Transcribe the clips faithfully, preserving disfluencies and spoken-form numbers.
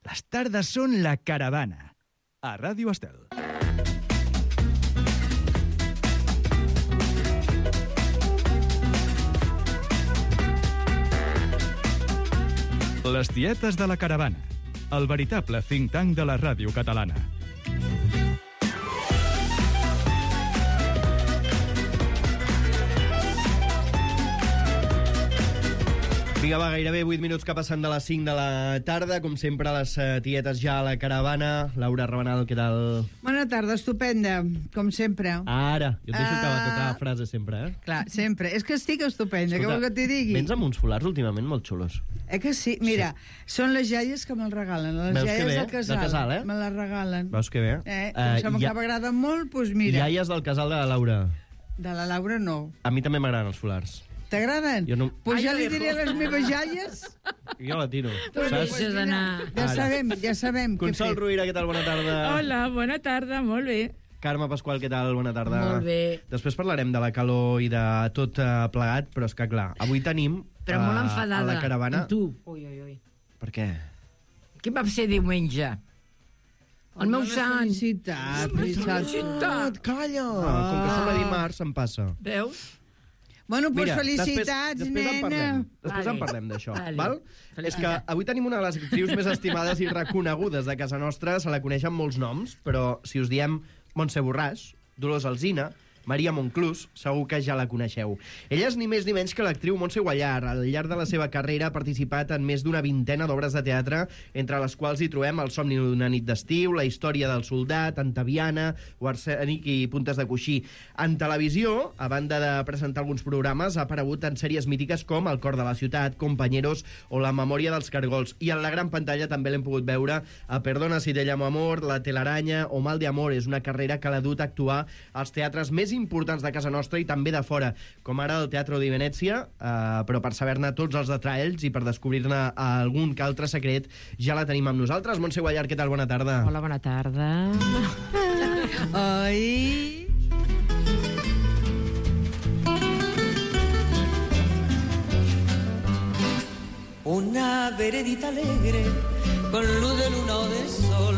Les tardes són la caravana. A Ràdio Estel. Les tietes de la caravana. El veritable think tank de la ràdio catalana. Vinga, va, gairebé vuit minuts que passen de les cinc de la tarda. Com sempre, les uh, tietes ja a la caravana. Laura Rabanal, què tal? Bona tarda, estupenda, com sempre. Ara, jo et deixo Ah. acabar tota la frase sempre, eh? Clar, sempre. És que estic estupenda, Escolta, què vol que t'hi digui? Vens amb uns folars últimament molt xulos. Eh que sí? Mira, són les jaies que me'l regalen. Les Veus que jaies bé, del casal. del casal, eh? Me les regalen. Veus que bé? Eh, Eh, com uh, ja- que m'agraden molt, doncs mira. Iaies del casal de la Laura. De la Laura no. A mi també m'agraden els folars. T'agraden? Jo no- Pues Ai, ja jo li dejo. diré a les meves jaies. Jo la tiro. Tu deixes anar. Ja Ara. sabem, ja sabem què Consol fer. Ruïra, què tal? Bona tarda. Hola, bona tarda, molt bé. Carme Pasqual, què tal? Bona tarda. Molt bé. Després parlarem de la calor i de tot uh, plegat, però és que, clar, avui tenim Però molt eh, enfadada. a la caravana... Amb tu. Ui, ui, ui. Per què? Què va ser diumenge? El meu sant. Felicitat, Felicitat. felicitat. Calla! Ah. Com que som a dimarts, em passa. Veus? Bueno, doncs Mira, felicitats, després, després en nena. parlem. Després Vale. en parlem d'això, Vale. val? Felicitats. És que avui tenim una de les actrius més estimades i reconegudes de casa nostra. Se la coneix amb molts noms, però si us diem Montse Borràs, Dolors Alsina, Maria Monclús, segur que ja la coneixeu. Ella és ni més ni menys que l'actriu Montse Guallar. Al llarg de la seva carrera ha participat en més d'una vintena d'obres de teatre, entre les quals hi trobem El somni d'una nit d'estiu, La història del soldat, Antaviana, o Arsènic i Puntes de coixí. En televisió, a banda de presentar alguns programes, ha aparegut en sèries mítiques com El cor de la ciutat, Compañeros o La memòria dels cargols. I en la gran pantalla també l'hem pogut veure a Perdona si te llamo amor, La telaraña o Mal de amor. És una carrera que l'ha dut a actuar als teatres més importants de casa nostra i també de fora, com ara el Teatro di Venezia, eh, però per saber-ne tots els detalls i per descobrir-ne algun que altre secret, ja la tenim amb nosaltres. Montse Guallar, què tal? Bona tarda. Hola, bona tarda. Ai... Una veredita alegre con luz de luna o de sol,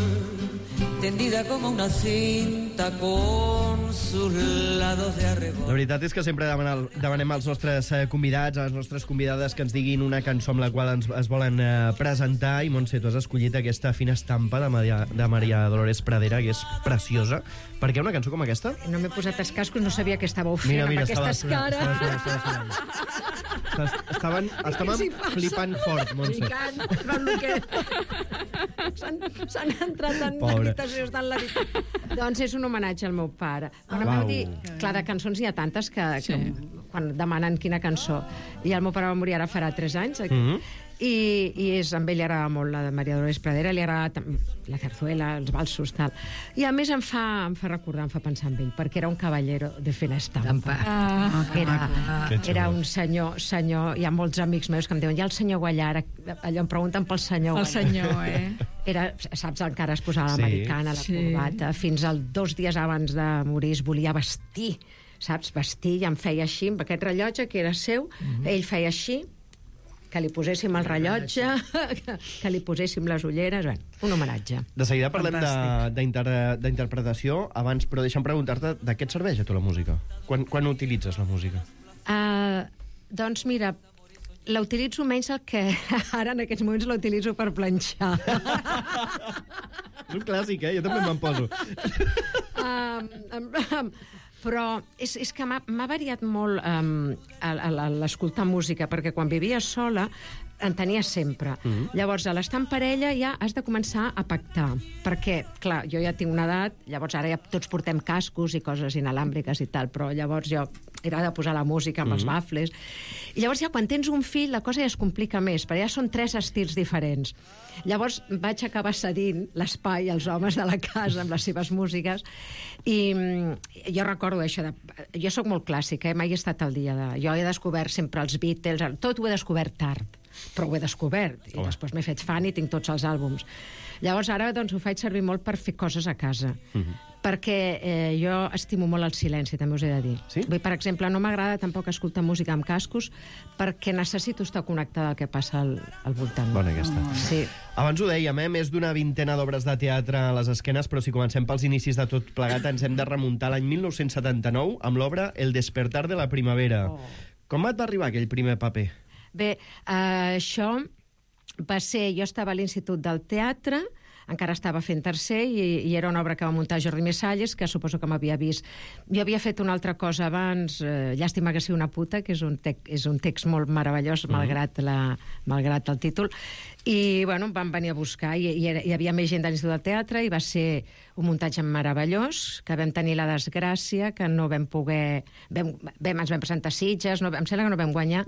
tendida como una cinta con sus lados de La arrebol. veritat és que sempre demanem, demanem als nostres eh, convidats, a les nostres convidades, que ens diguin una cançó amb la qual ens, es volen eh, presentar. I, Montse, tu has escollit aquesta fina estampa de Maria, de Maria Dolores Pradera, que és preciosa. Per què una cançó com aquesta? No m'he posat els cascos, no sabia que estàveu fent Mira, mira, amb aquestes estava- cares. estava- estava- estava- estava- Estaven, estaven Què s'hi passa? flipant fort, Montse. Picant, però el que... S'han s'han entrat en Pobre. l'habitació, estan en l'habitació. Doncs és un homenatge al meu pare. Quan em Uau. vau dir... Clar, de cançons n'hi ha tantes que, que quan demanen quina cançó. I el meu pare va morir ara farà tres anys. Mhm. I, i és, amb ell li agrada molt la de Maria Dolores Pradera, li agrada tam- la zarzuela, els valsos, tal. I a més em fa, em fa recordar, em fa pensar en ell, perquè era un caballero de fina estampa. Ah, Era, Que xulo. era un senyor, senyor, hi ha molts amics meus que em diuen, hi ha el senyor Guallar, allò em pregunten pel senyor El Guallar. senyor, eh? Era, saps, encara es posava Sí. l'americana, la Sí. corbata, fins al dos dies abans de morir es volia vestir, saps, vestir, i em feia així, amb aquest rellotge que era seu, ell feia així, que li poséssim el rellotge, que, que li poséssim les ulleres, bé, un homenatge. De seguida parlem de- d'inter- d'interpretació. Abans, però deixa'm preguntar-te, de què et serveix a tu la música? Quan, quan utilitzes la música? Uh, doncs mira, la utilitzo menys el que ara en aquests moments la utilitzo per planxar. És un clàssic, eh? Jo també me'n poso. um, um, um, però és, és que m'ha m'ha variat molt um, l'escoltar música, perquè quan vivia sola en tenia sempre. Mm-hmm. Llavors, a l'estar en parella ja has de començar a pactar, perquè, clar, jo ja tinc una edat, llavors ara ja tots portem cascos i coses inalàmbriques i tal, però llavors jo era de posar la música amb mm-hmm. els bafles. I llavors ja quan tens un fill la cosa ja es complica més, perquè ja són tres estils diferents. Llavors vaig acabar cedint l'espai als homes de la casa amb les seves músiques i mm, jo recordo això de... Jo sóc molt clàssica, eh? Mai he estat al dia de... Jo he descobert sempre els Beatles, tot ho he descobert tard, però ho he descobert i Home. després m'he fet fan i tinc tots els àlbums. Llavors ara doncs ho faig servir molt per fer coses a casa. Mm-hmm. perquè eh, jo estimo molt el silenci, també us he de dir. Sí? Vull, per exemple, no m'agrada tampoc escoltar música amb cascos perquè necessito estar connectada al que passa al, al voltant. Bona aquesta. Sí. Abans ho dèiem, eh? Més d'una vintena d'obres de teatre a les esquenes, però si comencem pels inicis de tot plegat ens hem de remuntar a l'any mil nou-cents setanta-nou amb l'obra El despertar de la primavera. Oh. Com et va arribar aquell primer paper? Bé, eh, això va ser... Jo estava a l'Institut del Teatre, encara estava fent tercer, i, i era una obra que va muntar Jordi Messalles, que suposo que m'havia vist. Jo havia fet una altra cosa abans, eh, Llàstima que sigui una puta, que és un, te és un text molt meravellós, mm. malgrat, la, malgrat el títol, i bueno, em van venir a buscar, i, i era, hi havia més gent de l'Institut del Teatre, i va ser un muntatge meravellós, que vam tenir la desgràcia, que no vam poder... Vam, vam, ens vam presentar a Sitges, no, em sembla que no vam guanyar,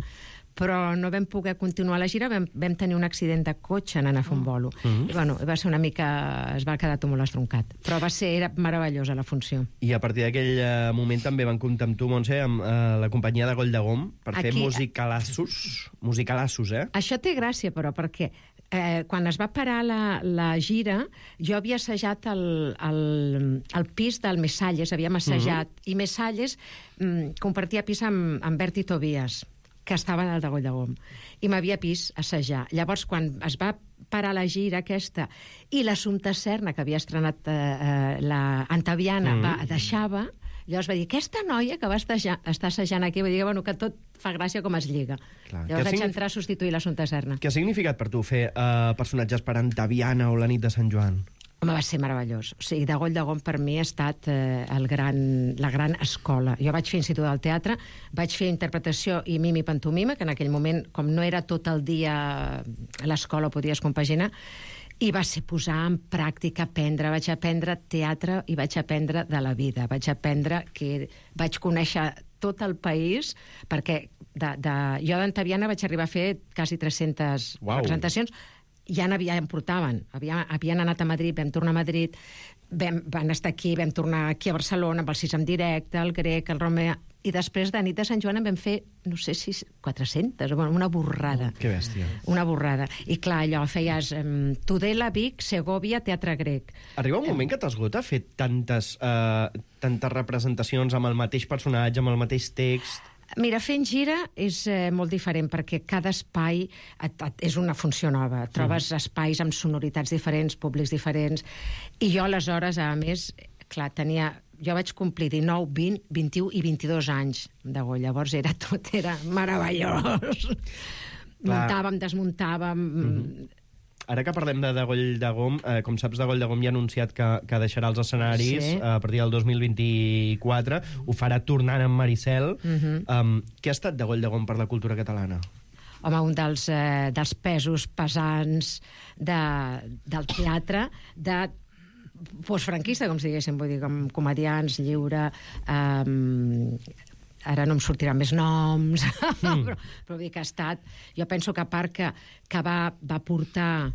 però no vam poder continuar la gira, vam, vam tenir un accident de cotxe anant a fer un bolo. Mm -hmm. I bueno, va ser una mica... es va quedar tot molt estroncat. Però va ser... era meravellosa la funció. I a partir d'aquell uh, moment també van comptar amb tu, Montse, amb uh, la companyia de Goll de Gom, per Aquí... fer musicalassos. Musicalassos, eh? Això té gràcia, però, perquè eh, quan es va parar la, la gira, jo havia assajat el, el, el pis del Messalles, havíem assajat, mm -hmm. i Messalles mm, compartia pis amb, amb Berti Tobias, que estava al de Goll de Gom, i m'havia vist assajar. Llavors, quan es va parar la gira aquesta, i l'Assumpta Serna, que havia estrenat eh, eh, la Antaviana, mm. va, deixava, llavors va dir, aquesta noia que va estar, estar assajant aquí, va dir bueno, que tot fa gràcia com es lliga. Clar. Llavors vaig entrar a substituir l'Assumpta Serna. Què ha significat per tu fer uh, personatges per Antaviana o la nit de Sant Joan? Home, va ser meravellós. O sigui, de Goll de Gom per mi ha estat eh, el gran, la gran escola. Jo vaig fer Institut del Teatre, vaig fer interpretació i mimi i pantomima, que en aquell moment, com no era tot el dia a l'escola, podies compaginar, i va ser posar en pràctica, aprendre. Vaig aprendre teatre i vaig aprendre de la vida. Vaig aprendre que vaig conèixer tot el país, perquè de, de, jo d'Antaviana vaig arribar a fer quasi tres-centes wow. representacions. Ja n'havia, em portaven. Havien, havien anat a Madrid, vam tornar a Madrid, vam, van estar aquí, vam tornar aquí a Barcelona amb el sis en directe, el grec, el Romea, i després de nit de Sant Joan en vam fer, no sé si quatre-centes, una borrada. Oh, que bèstia. Una borrada. I clar, allò feies um, Tudela, Vic, Segovia, Teatre Grec. Arriba un moment que t'esgota fer tantes, uh, tantes representacions amb el mateix personatge, amb el mateix text... Mira, fent gira és eh, molt diferent perquè cada espai et, et, és una funció nova. Trobes mm. espais amb sonoritats diferents, públics diferents, i jo aleshores, a més, clar, tenia... Jo vaig complir dinou, vint, vint-i-u i vint-i-dos anys de Goll. Llavors era tot, era meravellós. Muntàvem, desmuntàvem... Mm-hmm. Ara que parlem de, de Goll de Gom, eh, com saps, de Goll de Gom ja ha anunciat que, que deixarà els escenaris sí. a partir del dos mil vint-i-quatre. Ho farà tornant amb Maricel. Mm-hmm. um, què ha estat de Goll de Gom per la cultura catalana? Home, un dels, eh, dels pesos pesants de, del teatre, de postfranquista, com si diguéssim, vull dir, com comedians, lliure... Um, ara no em sortiran més noms, mm. però, però vull dir que ha estat... Jo penso que a part que, que va, va portar...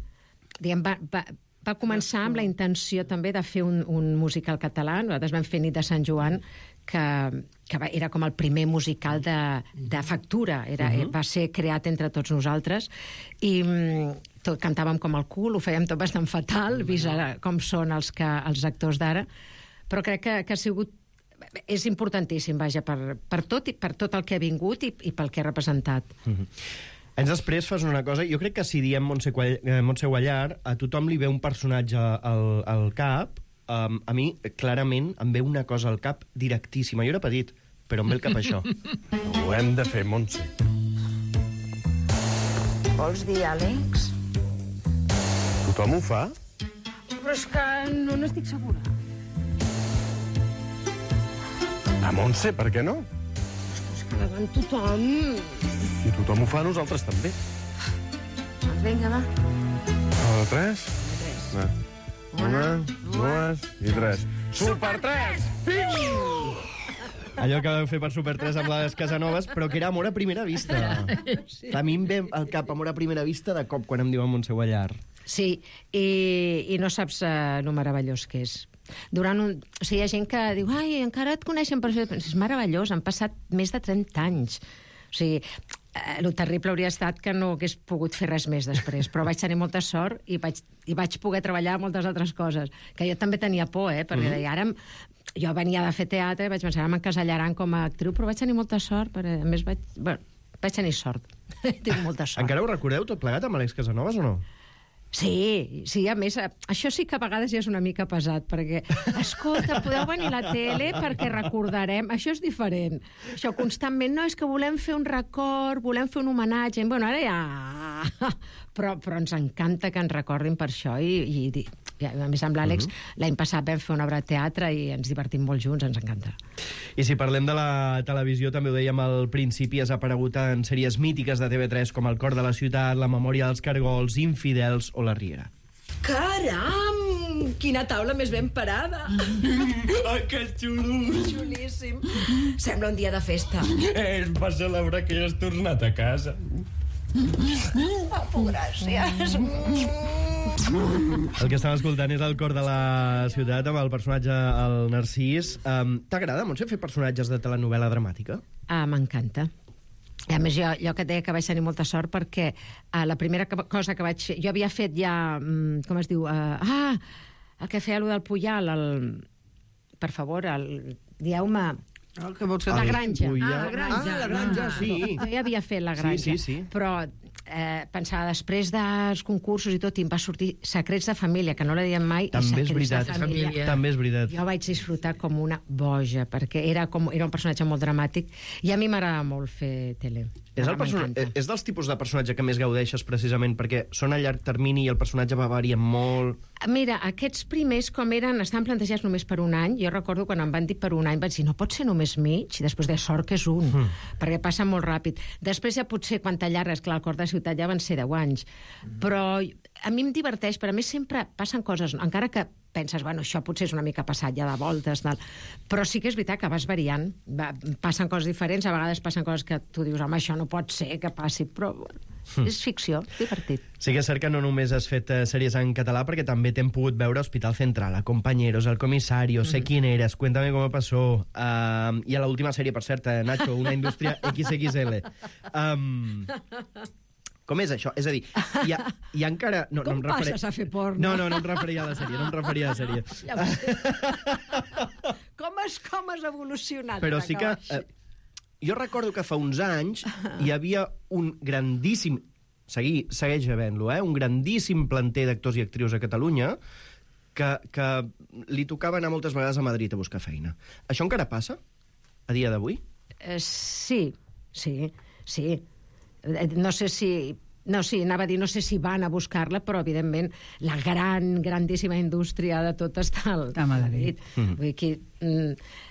Diguem, va, va, va començar amb la intenció també de fer un, un musical català. Nosaltres vam fer Nit de Sant Joan, que, que va, era com el primer musical de, de factura. Era, uh-huh. Va ser creat entre tots nosaltres. I tot, cantàvem com el cul, ho fèiem tot bastant fatal, vist ara com són els, que, els actors d'ara. Però crec que, que ha sigut és importantíssim, vaja, per, per tot i per tot el que ha vingut i, i pel que ha representat. Mm-hmm. Anys després fas una cosa, jo crec que si diem Montse, Montse Guallar, a tothom li ve un personatge al, al cap, um, a mi, clarament, em ve una cosa al cap directíssima. Jo era petit, però em ve el cap això. Ho hem de fer, Montse. Vols dir, Àlex? Tothom ho fa? Però és que no n'estic segura. A Montse, per què no? És que davant tothom... Si tothom ho fa, nosaltres també. Doncs vinga, va. A la tres? Tres. Una, dues i tres. Super tres! Piu! Allò que vau fer per Super tres amb les Casanovas, però que era Amor a primera vista. Sí. A mi em ve al cap Amor a primera vista de cop quan em diuen Montse Guallar. Sí, i, i no saps uh, lo meravellós que és. Durant un... O sigui, hi ha gent que diu ai, encara et coneixen per això. És meravellós, han passat més de trenta anys. O sigui, Eh, el terrible hauria estat que no hagués pogut fer res més després, però vaig tenir molta sort i vaig, i vaig poder treballar moltes altres coses, que jo també tenia por, eh, perquè mm. deia, ara... Jo venia de fer teatre, vaig pensar, ara m'encasellaran com a actriu, però vaig tenir molta sort, perquè a més vaig... Bueno, vaig tenir sort. Tinc molta sort. Encara ho recordeu tot plegat amb Àlex Casanovas o no? Sí, sí, a més, això sí que a vegades ja és una mica pesat, perquè, escolta, podeu venir a la tele perquè recordarem... Això és diferent. Això constantment, no, és que volem fer un record, volem fer un homenatge... Bueno, ara ja... Però, però ens encanta que ens recordin per això i... i I a més amb l'Àlex, uh -huh. l'any passat vam fer una obra de teatre i ens divertim molt junts, ens encanta. I si parlem de la televisió, també ho dèiem al principi, has aparegut en sèries mítiques de T V tres com El cor de la ciutat, La memòria dels cargols, Infidels o La Riera. Caram! Quina taula més ben parada! Ai, que xulo! Xulíssim. Sembla un dia de festa. És per celebrar que ja has tornat a casa. Oh, gràcies. El que estem escoltant és El cor de la ciutat amb el personatge, el Narcís. Um, T'agrada, Montse, fer personatges de telenovela dramàtica? Ah, m'encanta. I a més, jo, jo que et deia que vaig tenir molta sort perquè uh, la primera cosa que vaig fer... Jo havia fet ja... Um, com es diu? Uh, ah, el que feia allò del Puyal, el... Per favor, el... Dieu-me... El que vols que La digui? granja. Puyal. Ah, la granja. Ah, la granja, sí. Jo ja havia fet la granja. Sí, sí, sí. Però eh, pensava, després dels concursos i tot, i em va sortir Secrets de família, que no la diem mai, També i és Secrets veritat. de família. També és veritat. Jo vaig disfrutar com una boja, perquè era, com, era un personatge molt dramàtic, i a mi m'agrada molt fer tele. És, el persona... és dels tipus de personatge que més gaudeixes precisament perquè són a llarg termini i el personatge va variant molt... Mira, aquests primers, com eren, estaven plantejats només per un any. Jo recordo quan em van dir per un any, vaig dir, no pot ser només mig, i després de sort que és un, mm. perquè passa molt ràpid. Després ja potser, quan t'allargues, clar, el cor de ciutat ja van ser deu anys. Mm. Però a mi em diverteix, però a més sempre passen coses, encara que penses, bueno, això potser és una mica passat ja de voltes, tal. Però sí que és veritat que vas variant, va, passen coses diferents, a vegades passen coses que tu dius, home, això no pot ser que passi, però mm. és ficció, divertit. Sí que és cert que no només has fet uh, sèries en català, perquè també t'hem pogut veure Hospital Central, a Compañeros, El Comisario, mm. Sé quién eres, Cuéntame cómo pasó, uh, i a l'última sèrie, per cert, uh, Nacho, Una indústria equis equis ele. Um, com és això? És a dir, hi ha, hi ha encara... No, com no em referia... passes a fer porno? No, no, no em referia a la sèrie, no em referia a la sèrie. Ja com, has, com has evolucionat? Però sí que... Eh, jo recordo que fa uns anys hi havia un grandíssim... Segui, segueix havent-lo, eh? Un grandíssim planter d'actors i actrius a Catalunya que, que li tocava anar moltes vegades a Madrid a buscar feina. Això encara passa? A dia d'avui? Eh, sí, sí, sí. No sé si... No, sí, anava a dir, no sé si van a buscar-la, però, evidentment, la gran, grandíssima indústria de tot està al a Madrid. Mm. Vull dir que,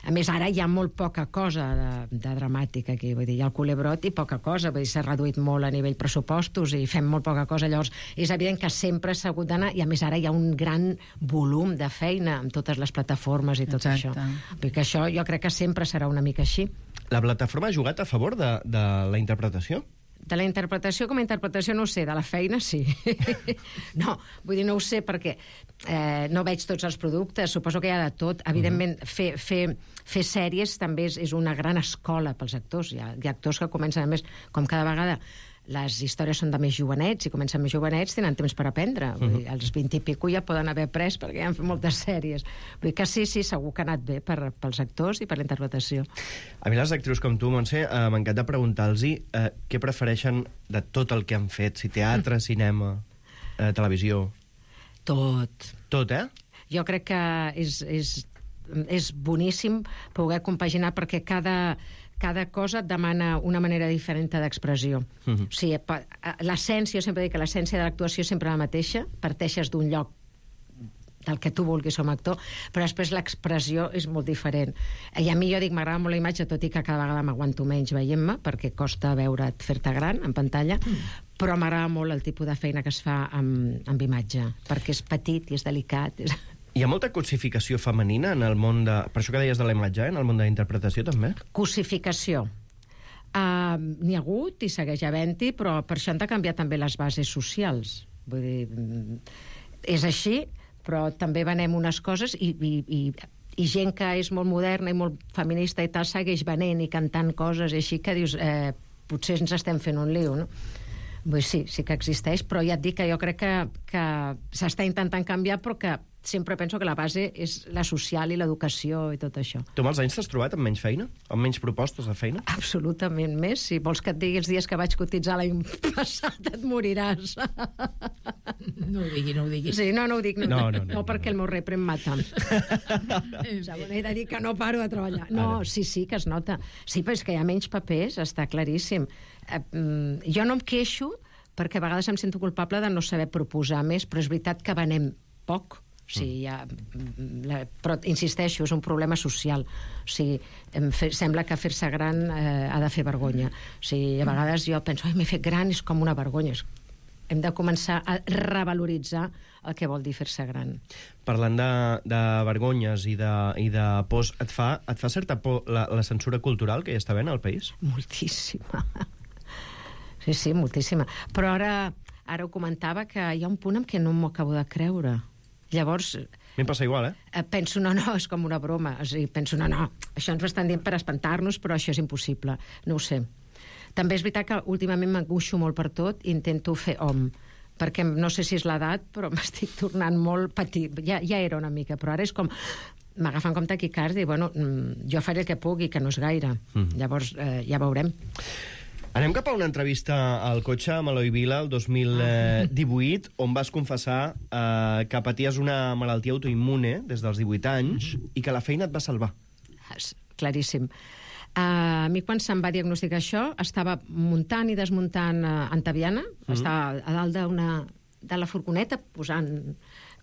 a més, ara hi ha molt poca cosa de, de dramàtica aquí. Vull dir, hi ha el culebrot i poca cosa. Vull dir, s'ha reduït molt a nivell pressupostos i fem molt poca cosa. Llavors, és evident que sempre s'ha hagut d'anar, i a més ara hi ha un gran volum de feina amb totes les plataformes i tot Exacte. això. Vull dir que això jo crec que sempre serà una mica així. La plataforma ha jugat a favor de, de la interpretació? De la interpretació com a interpretació no ho sé, de la feina sí. No, vull dir, no ho sé perquè eh, no veig tots els productes, suposo que hi ha de tot. Evidentment, fer, fer, fer sèries també és, és una gran escola pels actors. Hi ha, hi ha actors que comencen, a més, com cada vegada les històries són de més jovenets, i comencen més jovenets, tenen temps per aprendre. Vull dir, als vint i pico ja poden haver après perquè ja han fet moltes sèries. Vull dir que sí, sí, segur que ha anat bé per, pels actors i per la interpretació. A mi les actrius com tu, Montse, eh, m'encanta preguntar-los eh, què prefereixen de tot el que han fet, si teatre, cinema, eh, televisió... Tot. Tot, eh? Jo crec que és, és, és boníssim poder compaginar perquè cada... cada cosa et demana una manera diferent d'expressió. Uh-huh. O sigui, l'essència, jo sempre dic que l'essència de l'actuació és sempre la mateixa, parteixes d'un lloc del que tu vulguis com a actor, però després l'expressió és molt diferent. I a mi, jo dic, m'agrada molt la imatge, tot i que cada vegada m'aguanto menys veient-me, perquè costa veure't fer-te gran en pantalla, mm. però m'agrada molt el tipus de feina que es fa amb, amb imatge, perquè és petit i és delicat. És... Hi ha molta cosificació femenina en el món de... Per això que deies de la imatge, eh? En el món de la interpretació, també? Cosificació. Uh, N'hi ha hagut i segueix havent-hi, però per això han de canviar també les bases socials. Vull dir, és així, però també venem unes coses i, i, i, i gent que és molt moderna i molt feminista i tal segueix venent i cantant coses i així que dius... Eh, potser ens estem fent un lío, no? Vull dir, sí, sí que existeix, però ja et dic que jo crec que, que s'està intentant canviar, però que sempre penso que la base és la social i l'educació i tot això. Tu amb els anys t'has trobat amb menys feina? Amb menys propostes de feina? Absolutament més. Si vols que et digui els dies que vaig cotitzar l'any passat, et moriràs. No ho digui, no ho digui. Sí, no, no ho dic. No, No, no, no, no, no perquè el meu repre em mata. O sigui, he de dir que no paro de treballar. No, sí, sí, que es nota. Sí, però és que hi ha menys papers, està claríssim. Eh, mm, jo no em queixo perquè a vegades em sento culpable de no saber proposar més, però és veritat que venem poc. O sigui, ja, la, però insisteixo, és un problema social. O sigui, em fe, sembla que fer-se gran eh, ha de fer vergonya. O sigui, a vegades jo penso, ai, m'he fet gran, és com una vergonya. Hem de començar a revaloritzar el que vol dir fer-se gran. Parlant de, de vergonyes i de, i de pors, et fa, et fa certa por la, la censura cultural que hi està havent al país? Moltíssima. Sí, sí, moltíssima. Però ara, ara ho comentava, que hi ha un punt en què no m'ho acabo de creure. Llavors... A mi em passa igual, eh? Penso, no, no, és com una broma. O sigui, penso, no, no, això ens ho estan dient per espantar-nos, però això és impossible. No ho sé. També és veritat que últimament m'angoixo molt per tot i intento fer hom, perquè no sé si és l'edat, però m'estic tornant molt petit. Ja, ja era una mica, però ara és com... M'agafen com taquicàrdia i, bueno, jo faré el que pugui, que no és gaire. Mm. Llavors, eh, ja veurem. Anem cap a una entrevista al cotxe amb Eloi Vila el dos mil divuit, on vas confessar eh, que paties una malaltia autoimmune des dels divuit anys i que la feina et va salvar. Claríssim. Uh, a mi, quan se'm va diagnosticar això, estava muntant i desmuntant uh, Antaviana, mm-hmm. estava a dalt d'una de la furgoneta posant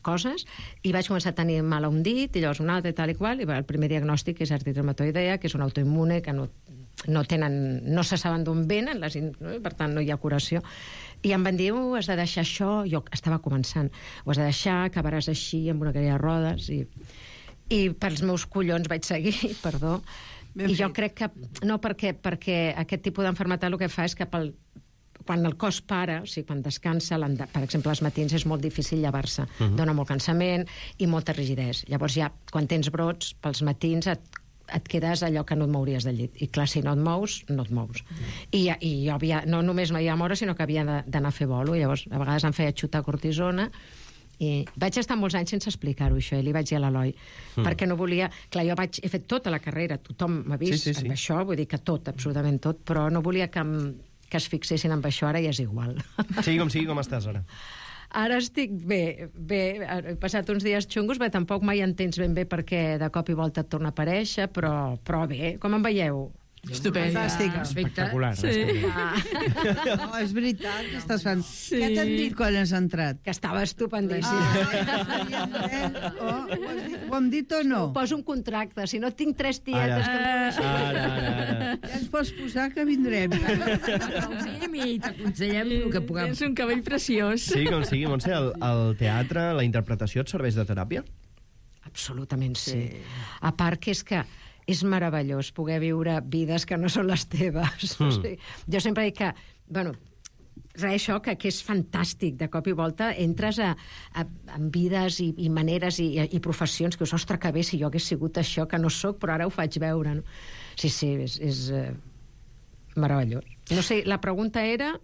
coses, i vaig començar a tenir mal a un dit, i llavors un altre, i tal i qual, i el primer diagnòstic és artritis reumatoidea, que és una autoimmune que no, no tenen, no se saben d'on venen, les, no? Per tant no hi ha curació. I em van dir, oh, has de deixar això, jo estava començant, ho has de deixar, acabaràs així, amb una cadira de rodes, i, i pels meus collons vaig seguir, perdó. Ben I fet. Jo crec que, no, perquè, perquè aquest tipus d'enfermetat el que fa és que pel, quan el cos para, o sigui, quan descansa, per exemple, als matins és molt difícil llevar-se, uh-huh. dona molt cansament i molta rigidesa. Llavors ja, quan tens brots, pels matins et, et quedes allò que no et mouries del llit. I clar, si no et mous, no et mous. Uh-huh. I, i jo havia, no només m'havia de moure, sinó que havia d'anar a fer bolo. Llavors, a vegades em feia xutar cortisona, i vaig estar molts anys sense explicar-ho, això, i li vaig dir a l'Eloi, mm. perquè no volia... Clar, jo vaig, he fet tota la carrera, tothom m'ha vist sí, sí, sí. amb això, vull dir que tot, absolutament tot, però no volia que, que es fixessin amb això, ara ja és igual. Sigui com sigui, com estàs ara? Ara estic bé, bé, he passat uns dies xungos, bé, tampoc mai entens ben bé perquè de cop i volta et torna a aparèixer, però, però bé, com em veieu? Estupenda. Espectacular. Sí. Ah. No, és veritat que estàs fent... Sí. Què t'han dit quan has entrat? Que estava estupendíssim. Ah, oh, ho, dit, ho hem dit o no? Poso un contracte, si no tinc tres tietes... Ara, que... ara, ara, ara. Ja ens pots posar que vindrem. I t'aconsellem el que puguem. És un cabell preciós. Sí, com sigui, Montse, el, el teatre, la interpretació et serveix de teràpia? Absolutament sí. sí. A part que és que és meravellós poder viure vides que no són les teves. Mm. O sigui, jo sempre dic que, bueno, res, això, que, que és fantàstic. De cop i volta entres a, a, en vides i, i maneres i, i professions que, ostres, que bé, si jo hagués sigut això, que no sóc, però ara ho faig veure. No? Sí, sí, és, és uh, meravellós. No sé, la pregunta era...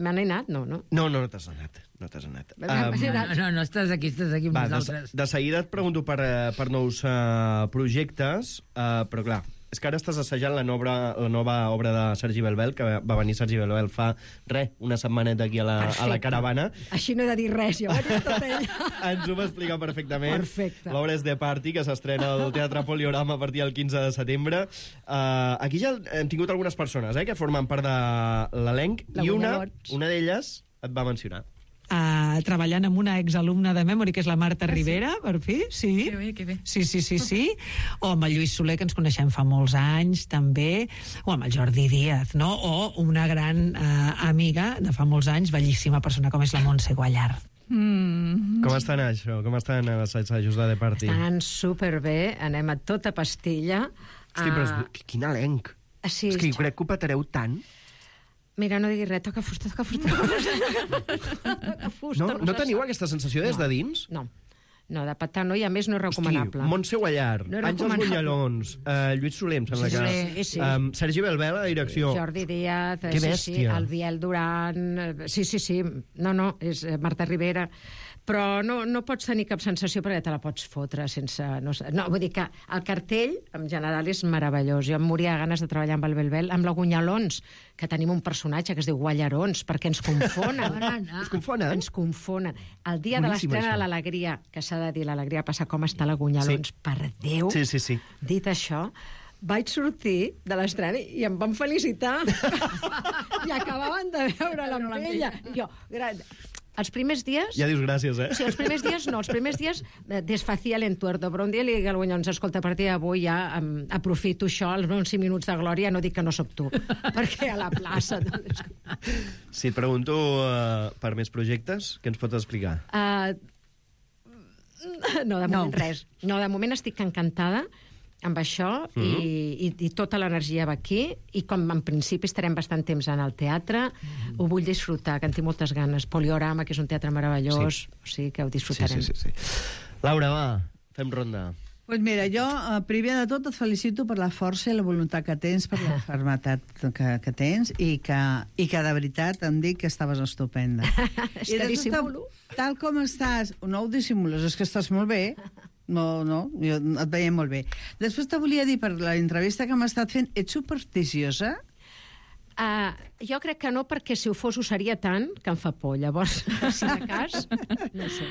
Me n'he anat? No, no? No, no, no t'has anat. No t'has anat. Um, no, no, no, estàs aquí, estàs aquí amb va, nosaltres. De, de seguida et pregunto per, per nous uh, projectes, uh, però clar, és que ara estàs assajant la nova, la nova obra de Sergi Belbel, que va venir Sergi Belbel fa, res, una setmaneta aquí a la, a la caravana. Així no he de dir res, jo vaig tot ell. Ens ho va explicar perfectament. Perfecte. L'obra és The Party, que s'estrena al Teatre Poliorama a partir del quinze de setembre. Uh, aquí ja hem tingut algunes persones eh, que formen part de l'elenc, i una, una d'elles et va mencionar. Uh, treballant amb una exalumna de Memory, que és la Marta ah, Rivera, sí? Per fi, sí. Que bé, que bé. Sí, sí, sí, sí. O amb el Lluís Soler, que ens coneixem fa molts anys, també. O amb el Jordi Díaz, no? O una gran uh, amiga de fa molts anys, bellíssima persona, com és la Montse Guallart. Mm. Com estan això? Com estan els assajos de The Party? Estan superbé, anem a tota pastilla. Hosti, però és... quin elenc. Sí, és que jo crec que ho patareu tant. Mira, no digui res, toca fusta, toca fusta, toca fusta. Toca fusta No, no teniu aquesta sensació des de dins? No. No, de petar no, i a més no és recomanable. Hosti, Montse Guallar, No és Àngels recomanable. Bunyalons, uh, Lluís Soler, em sembla Sí, que... sí, sí. Um, Sergi Belbel a la direcció. Jordi Díaz, Que sí, sí, bèstia. el Biel Duran... eh, Sí, sí, sí. No, no, és eh, Marta Rivera. Però no, no pots tenir cap sensació perquè te la pots fotre sense... No, sé- no, vull dir que el cartell, en general, és meravellós. Jo em moria de ganes de treballar amb el Belbel, amb la Gunyalons, que tenim un personatge que es diu Guallarons, perquè ens confonen. Es confonen? Ens confonen. El dia de Boníssim, l'estrena això. de l'Alegria, que s'ha de dir, l'Alegria passa com està la Gunyalons, Sí. per Déu. Sí, sí, sí. Dit això, vaig sortir de l'estrena i em van felicitar. I acabaven de veure la ella. I jo, gran... Els primers dies... Ja dius gràcies, eh? Sí, els primers dies no, els primers dies eh, desfacía l'entuerto, però un dia li dic al Guanyons, escolta, a partir d'avui ja um, aprofito això, els meus cinc minuts de glòria, no dic que no sóc tu, perquè a la plaça... Doncs... Si et pregunto uh, per més projectes, què ens pots explicar? Uh, no, de moment No. res. No, de moment estic encantada amb això mm. i, i, i tota l'energia va aquí i com en principi estarem bastant temps en el teatre, mm. ho vull disfrutar, que en tinc moltes ganes. Poliorama, que és un teatre meravellós, sí. O sigui que ho disfrutarem. Sí, sí, sí, sí. Laura, va, fem ronda. Pues mira, jo, eh, primer de tot, et felicito per la força i la voluntat que tens, per la fermetat que, que tens, i que, i que de veritat em dic que estaves estupenda. És I que de dissimulo. Tal, tal com estàs, no ho dissimules, és que estàs molt bé. No, no, jo et veiem molt bé. Després te volia dir, per l'entrevista que m'ha estat fent, ets supersticiosa? Uh, jo crec que no, perquè si ho fos ho seria tant que em fa por. Llavors, per si de cas, no ho sé.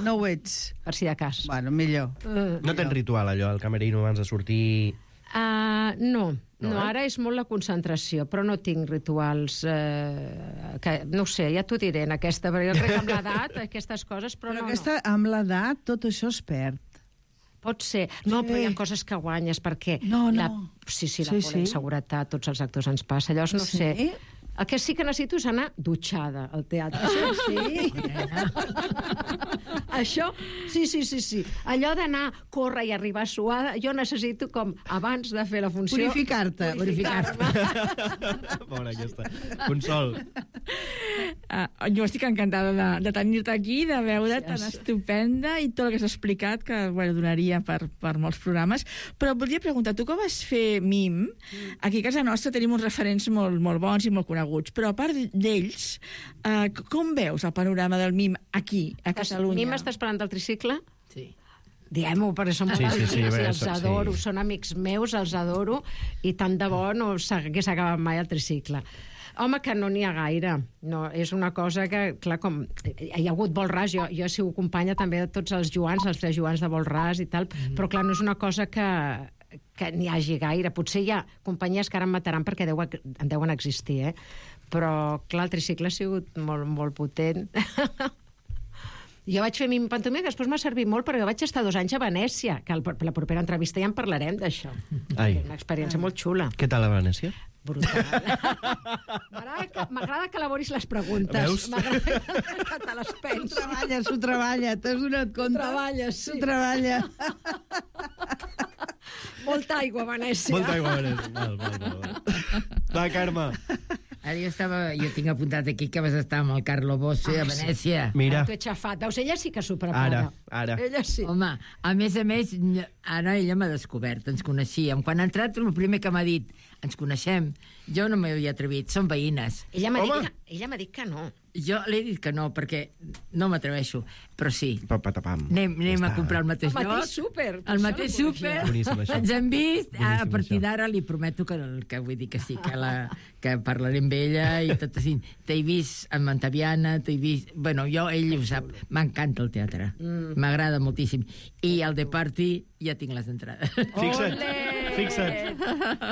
No ho ets? Per si de cas. Bueno, millor. Uh, No tens ritual, allò, el camerino abans de sortir... Uh, no, No, no, eh? ara és molt la concentració, però no tinc rituals... Eh, que, no ho sé, ja t'ho diré en aquesta, perquè jo crec que amb l'edat, aquestes coses, però, Però no, aquesta, amb l'edat, tot això es perd. no. Pot ser. No, Sí. però hi ha coses que guanyes, perquè... No, no. La, sí, sí, la Sí, por, sí. la inseguretat, tots els actors ens passa. Llavors, no Sí? sé... El que sí que necessito és anar dutxada al teatre. Això sí. Això, sí, sí, sí, sí. Allò d'anar, córrer i arribar suada, jo necessito com, abans de fer la funció... Purificar-te. Purificar-me. Pobra aquesta. Consol. Uh, jo estic encantada de, de tenir-te aquí, de veure tan Gràcies. estupenda i tot el que has explicat, que bueno, donaria per, per molts programes. Però volia preguntar, tu que vas fer mim, aquí a casa nostra tenim uns referents molt, molt bons i molt coneguts, però a part d'ells, uh, com veus el panorama del mim aquí, a Catalunya? Mim està esperant el tricicle? Sí. Diem-ho, perquè són Sí, molt sí, sí, amics bé, i els sí. adoro, són amics meus, els adoro, i tant de bo no s'hagués acabat mai el tricicle. Home, que no n'hi ha gaire. No, és una cosa que, clar, com... Hi ha hagut vol ras, jo, jo he sigut companya també de tots els Joans, els tres Joans de vol ras i tal, mm. però clar, no és una cosa que que n'hi hagi gaire. Potser hi ha companyies que ara em mataran perquè deu, en deuen existir, eh? Però, clar, el tricicle ha sigut molt, molt potent. Jo vaig fer mim pantomima, que després m'ha servit molt, perquè vaig estar dos anys a Venècia, que el, la propera entrevista ja en parlarem d'això. Ai. Una experiència molt xula. Què tal a Venècia? Brutal. M'agrada que, m'agrada que elaboris les preguntes. Veus? M'agrada que te les S'ho pensis. treballa, s'ho treballa, t'has donat compte? Treballa, sí. S'ho treballa. Molta aigua a Venècia. Molta aigua a Venècia. Val, val, val, val. Va, Carme. Ara jo, estava, jo tinc apuntat aquí que vas estar amb el Carlo Bosse Ah, a Venècia. Mira, T'ho he xafat. Veus, ella sí que s'ho prepara. ara, ara. Ella sí. Home, a més a més, ara ella m'ha descobert, ens coneixíem. Quan ha entrat, el primer que m'ha dit, ens coneixem, jo no m'hi havia atrevit, són veïnes. Ella m'ha Home. dit, que- ella m'ha dit que no. Jo l'he dit que no, perquè no m'atreveixo, però sí. Pa, pa, tapam. Anem, anem Ja a està. comprar el mateix El lloc. mateix súper. El mateix súper. Boníssim, això. Ens hem vist. Boníssim, A partir això. d'ara li prometo que, que vull dir que sí, que, la, que parlaré amb ella i tot així. T'he vist amb Antaviana, t'he vist... Bueno, jo, ell ho sap, m'encanta el teatre. M'agrada moltíssim. I el de Party ja tinc les entrades. Fixa't, Ole! fixa't.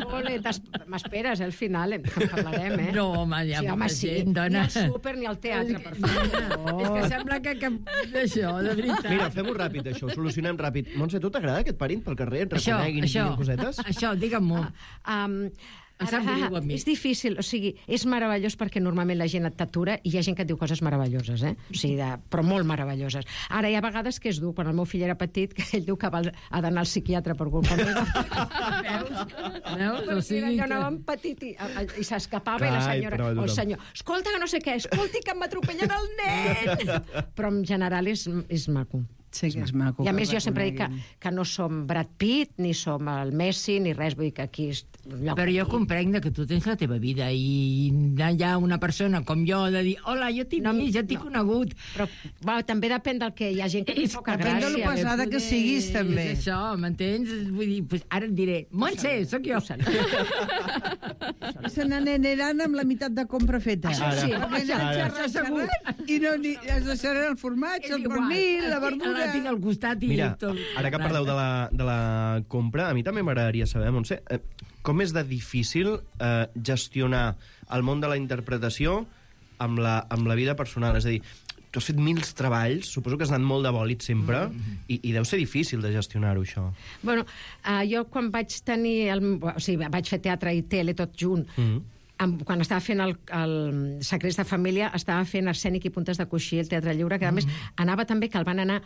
Ole, t'es- m'esperes, eh, al final, en parlarem, eh? No, home, hi ha sí, home, molta sí. gent, dona. Ni al súper ni al teatre, per favor. És que sembla que... que això, de veritat. Mira, fem-ho ràpid, això, ho solucionem ràpid. Montse, tu t'agrada que et parin pel carrer, et Això, reconeguin i això, diguin cosetes? això, digue'm-ho. Um, Em sap greu a mi. és difícil, o sigui, és meravellós perquè normalment la gent et t'atura i hi ha gent que et diu coses meravelloses, eh? O sigui, de, però molt meravelloses. Ara hi ha vegades que és dur, quan el meu fill era petit, que ell diu que va, ha d'anar al psiquiatre per culpa meva. Veus? Veus? O Perquè sigui jo que... anava amb petit i, i s'escapava i la Ai, senyora, però o el tothom. senyor, escolta que no sé què, escolti que em m'atropellen el nen! Però en general és, és maco. Sí que és maco. I a que més jo sempre dic que, reconeguin. que no som Brad Pitt, ni som el Messi, ni res, vull dir que aquí... És lloc Però jo aquí. comprenc que tu tens la teva vida i hi ha una persona com jo de dir hola, jo t'he No, vist, ja t'he no. conegut. Però va, també depèn del que hi ha gent que té poca depèn de lo gràcia. pesada que siguis, també. És això, m'entens? Vull dir, pues ara et diré, Montse, sóc jo. Se n'aniran amb la meitat de compra feta. Això sí, Perquè això, ja això xerres, segur. xerres, I no ni, es deixaran el formatge, el pernil, la verdura... La tinc al costat i Mira, tot. ara que parleu de la, de la compra, a mi també m'agradaria saber, Montse, eh, com és de difícil eh, gestionar el món de la interpretació amb la, amb la vida personal? És a dir, tu has fet mil treballs, suposo que has anat molt de bòlit sempre, mm. i, i deu ser difícil de gestionar-ho, això. Bueno, uh, jo quan vaig tenir... El, o sigui, vaig fer teatre i tele tot junt, Mm. amb, quan estava fent el, el Secrets de Família, estava fent Arsènic i Puntes de Coixí, el Teatre Lliure, que a més anava també que el van anar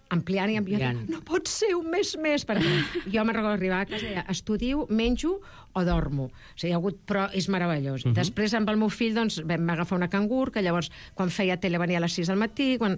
ampliant i ampliant. Ampliant. No pot ser un mes més, perquè jo me'n recordo arribar a casa i deia, estudio, menjo o dormo. O sigui, hi ha hagut, però és meravellós. Uh -huh. Després, amb el meu fill, doncs, vam agafar una cangur, que llavors, quan feia tele, venia a les sis del matí, quan...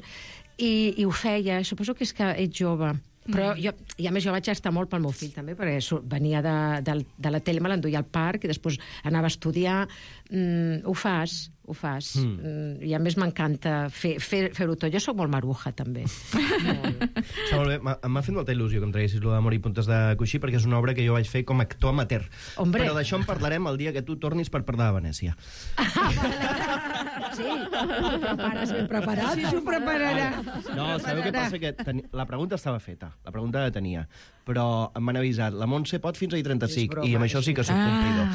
I, i ho feia. Suposo que és que ets jove. Però jo, i a més jo vaig estar molt pel meu fill també, perquè sur- venia de, de, de la tele, me l'enduia al parc i després anava a estudiar. Mm, ho fas, ho fas. Mm. Mm, I a més m'encanta fer, fer, fer-ho tot. Jo sóc molt maruja, també. molt. Està molt bé. M'ha m'ha fet molta il·lusió que em traguessis lo d'Amor i Puntes de Coixí, perquè és una obra que jo vaig fer com a actor amateur. Hombre. Però d'això en parlarem el dia que tu tornis per parlar de Venècia. Sí, ho prepares ben preparat. Sí, s'ho prepararà. No, sabeu què passa? Que teni... la pregunta estava feta, la pregunta la tenia, però m'han avisat, la Montse pot fins ahir trenta-cinc, broma, i amb això sí que soc Ah, complidor.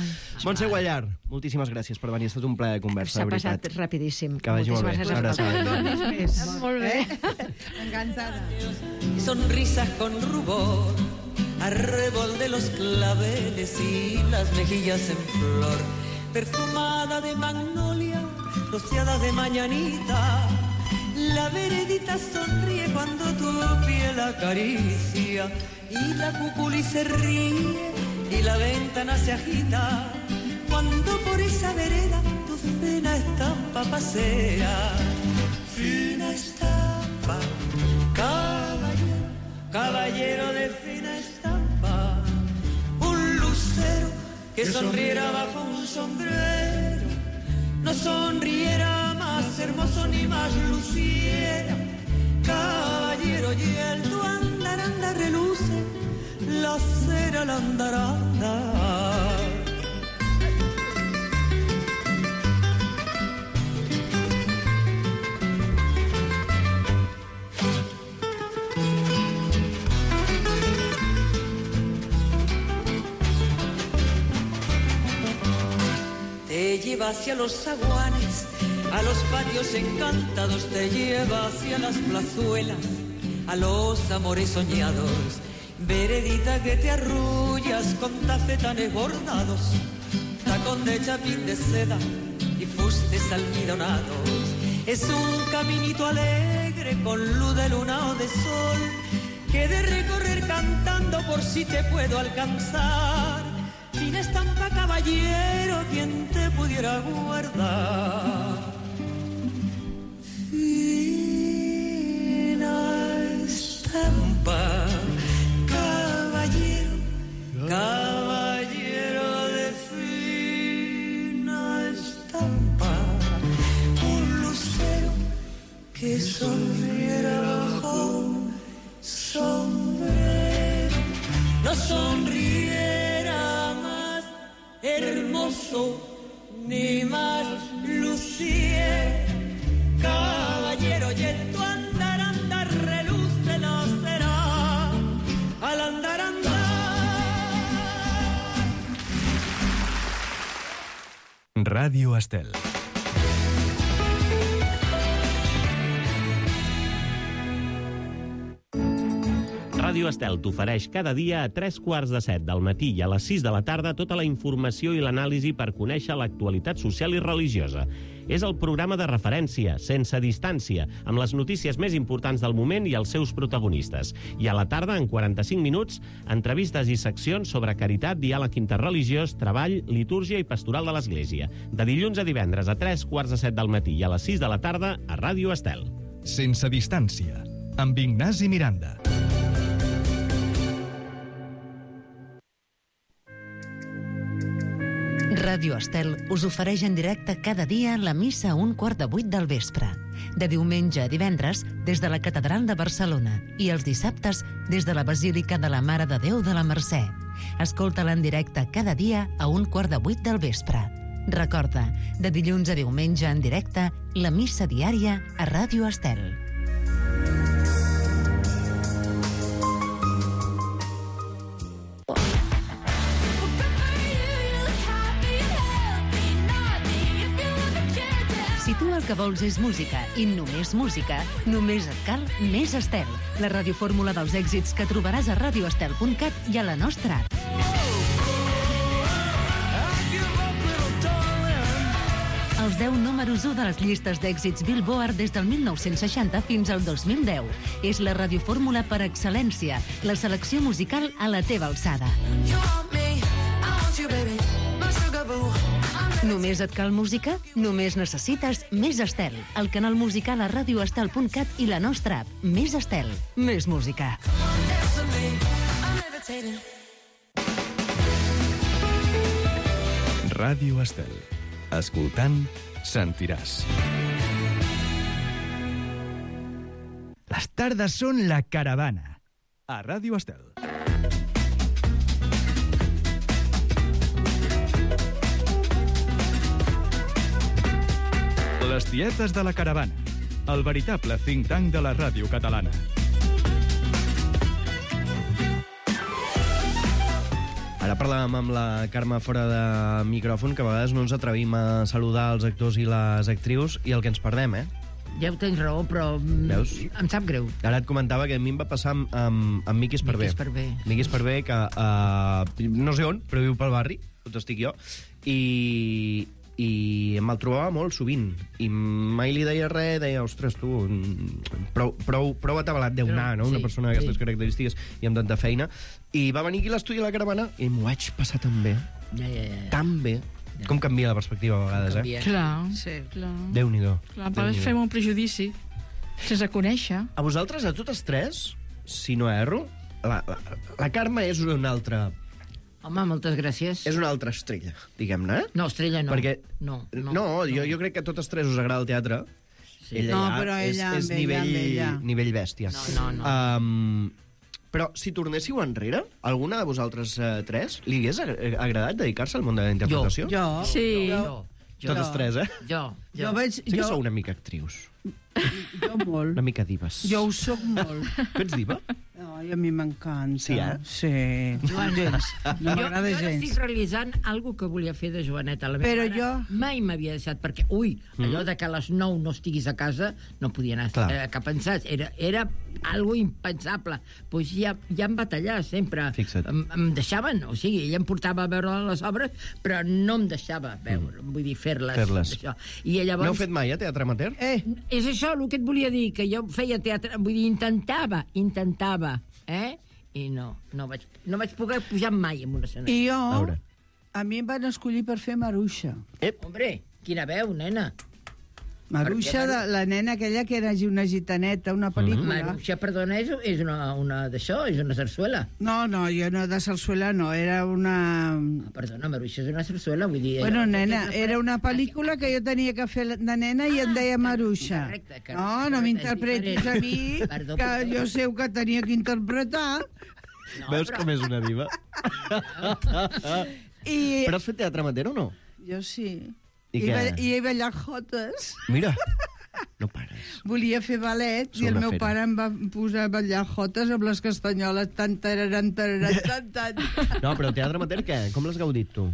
Montse Guallar, moltíssimes gràcies per venir, ha estat un plaer de conversa, S'ha de passat veritat. rapidíssim. Que vagi molt bé. Moltíssimes Una gràcies a abraçada. vosaltres. Més. Molt bé. Eh? Encantada. Sonrisas con rubor, arrebol de los claveles y las mejillas en flor, perfumada de magnolia, rociada de mañanita. La veredita sonríe cuando tu piel acaricia y la cuculi se ríe y la ventana se agita cuando por esa vereda tu fina estampa pasea. Fina estampa, caballero, caballero de fina estampa, un lucero que sonriera bajo un sombrero, no sonriera más hermoso ni más luciera. Caballero, y el tu andaranda reluce, la cera la andaranda. Te lleva hacia los zaguanes, a los patios encantados, te lleva hacia las plazuelas, a los amores soñados. Veredita que te arrullas con tafetanes bordados, tacón de chapín de seda y fustes almidonados. Es un caminito alegre con luz de luna o de sol, que he de recorrer cantando por si te puedo alcanzar. Fina estampa, caballero, quien te pudiera guardar. Fina estampa, caballero, caballero de fina estampa, un lucero que sonriera bajo un sombrero, no sonriera más hermoso ni más lucier. Caballero, y en tu andar andar reluce la cera al andar andar. Ràdio Estel. Ràdio Estel t'ofereix cada dia a tres quarts de set del matí i a les sis de la tarda tota la informació i l'anàlisi per conèixer l'actualitat social i religiosa. És el programa de referència, sense distància, amb les notícies més importants del moment i els seus protagonistes. I a la tarda, en quaranta-cinc minuts, entrevistes i seccions sobre caritat, diàleg interreligiós, treball, litúrgia i pastoral de l'Església. De dilluns a divendres a tres quarts de set del matí i a les sis de la tarda a Ràdio Estel. Sense distància. amb Ignasi Miranda. Ràdio Estel us ofereix en directe cada dia la missa a un quart de vuit del vespre. De diumenge a divendres, des de la Catedral de Barcelona, i els dissabtes, des de la Basílica de la Mare de Déu de la Mercè. Escolta-la en directe cada dia a un quart de vuit del vespre. Recorda, de dilluns a diumenge en directe, la missa diària a Ràdio Estel. Si tu el que vols és música i només música, només et cal Més Estel, la radiofórmula dels èxits que trobaràs a radio estel punt cat i a la nostra app. Els deu números u de les llistes d'èxits Billboard des del mil nou-cents seixanta fins al dos mil deu. És la radiofórmula per excel·lència, la selecció musical a la teva alçada. Només et cal música? Només necessites Més Estel, el canal musical a radio estel punt cat i la nostra app. Més Estel, més música. Ràdio Estel. Escoltant, sentiràs. Les tardes són la caravana. A Ràdio Estel. Les tietes de la caravana. El veritable think tank de la ràdio catalana. Ara parlàvem amb la Carme fora de micròfon, que a vegades no ens atrevim a saludar els actors i les actrius, i el que ens perdem, eh? Ja ho tens raó, però Veus? em sap greu. Ara et comentava que a mi em va passar amb, amb, amb Miqui Esparvé. Miqui Esparvé. Miqui Esparvé, que uh, no sé on, però viu pel barri, on estic jo, i, i me'l trobava molt sovint. I mai li deia res, deia, ostres, tu, prou, prou, prou atabalat deu anar, no? Una Sí, persona d'aquestes sí. característiques i amb tanta feina. I va venir aquí a l'estudi a la caravana i m'ho vaig passar tan bé, Ja, ja, ja. tan bé. Com canvia la perspectiva a vegades, eh? Clar, sí. clar. Déu-n'hi-do. Clar, a vegades fem un prejudici sense conèixer. A vosaltres, a totes tres, si no erro, la, la, la Carme és una altra... Home, moltes gràcies. És una altra estrella, diguem-ne. eh? No, estrella no. Perquè, No, no, no, jo, jo crec que a totes tres us agrada el teatre. Sí. Ella No, ja però és, ella és amb ella, nivell, amb ella. nivell bèstia. No, no, no. Um, però si tornéssiu enrere, alguna de vosaltres uh, tres li hagués ag- agradat dedicar-se al món de la interpretació? Jo. Sí. Jo, jo. Totes tres, eh? Jo, jo. Jo veig... Sí que Jo, sou una mica actrius, jo molt. una mica dives. Jo ho soc molt. Tu ets diva? Ai, a mi m'encanta. Sí, eh? Sí. Gens. No Jo, m'agrada jo ara gens. estic realitzant algo que volia fer de Joaneta. La meva Però mare jo- mai m'havia deixat, perquè, ui, allò de que a les nou no estiguis a casa, no podia anar Clar. eh, cap pensat. Era, era algo impensable. Pues ja, ja em va tallar sempre. Fixa't. Em, em deixaven, o sigui, ella em portava a veure les obres, però no em deixava veure, vull dir, fer-les. Fer-les. Això. I llavors... N'heu fet mai, eh, teatre amateur? Eh, És això el que et volia dir, que jo feia teatre, vull dir, intentava, intentava, eh? I no, no vaig, no vaig poder pujar mai en un escenari. i A jo... veure. A mi em van escollir per fer Maruixa. Hombre, quina veu, nena. Maruixa, Perquè de, la nena aquella que era una gitaneta, una pel·lícula. Maruixa, perdona, és, és una, una d'això, és una sarsuela. No, no, jo no de sarsuela no, era una... Ah, perdona, Maruixa és una sarsuela, vull dir... Bueno, allò- nena, era una pel·lícula que jo tenia que fer de nena i em deia Maruixa. correcte, correcte, No, no correcte, m'interpretis és a mi, diferent. Perdó, que perdó. jo sé que tenia que interpretar. No, Veus però- com és una diva? I Però has fet teatre amateur o no? jo sí. I I, què? ba- I he ballat jotes. Mira, no pares. Volia fer ballet Sou i el una meu fera. pare em va posar a ballar jotes amb les castanyoles tan tararan, tararan, tan, tan. No, però teatre amateur què? Com l'has gaudit, tu?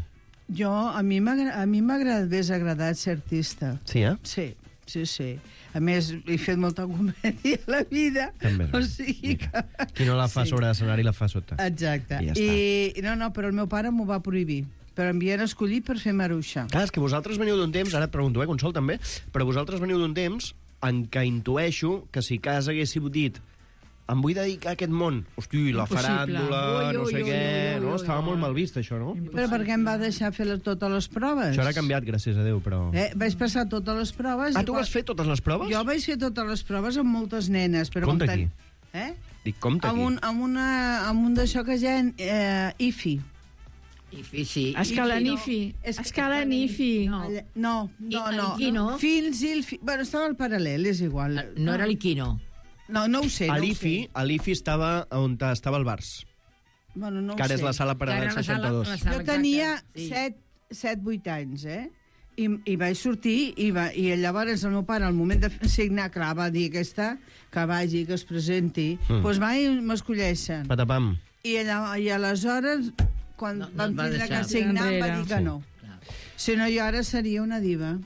Jo, a mi m'agra- a mi m'ha agradat, m'hagués agradat ser artista. Sí, eh? Sí, sí, sí. A més, he fet molta comèdia a la vida. També. O sigui que... Qui no la fa Sí. sobre l'escenari la fa sota. Exacte. I ja I, no, no, però el meu pare m'ho va prohibir. Però em havien escollit per fer Maruixa. Clar, és que vosaltres veniu d'un temps, ara et pregunto, eh, Consol, també, però vosaltres veniu d'un temps en què intueixo que si cas haguéssiu dit em vull dedicar a aquest món. Hosti, la faràndula, Ui, no ui, sé ui, què... ui, ui, no? ui, Estava ui. molt mal vist, això, no? Però per què em va deixar fer les, totes les proves? Això ara ha canviat, gràcies a Déu, però... Eh, vaig passar totes les proves... Ah, i tu quan- vas fer totes les proves? Jo vaig fer totes les proves amb moltes nenes, però... Compte com aquí. ten- Eh? Dic, compte Amb aquí. un, amb una, amb un d'això que ja... Eh, I F I. I sí. Escala I F I, no. Nifi. És que- Escala Nifi. No, no, no. I- no. Iquino? Fins i el fi... Bueno, estava al paral·lel, és igual. No era l'Iquino. No, no ho sé, A no ho l'I F I, sé. a l'I F I estava on estava el Bars, Bueno, no ho que ara és sé. la sala Paral·lel Que ara la sala- seixanta-dos. la sala- Jo tenia sí. set vuit anys, eh? I, i vaig sortir i, va, i llavors el meu pare al moment de signar, clar, va dir aquesta que vagi, que es presenti, Mm. doncs va i m'escolleixen. Patapam. I, allà, i aleshores quan No, no vam et va tindre deixar. que signar em va Enrere. dir que Sí. no. Si no, jo ara seria una diva.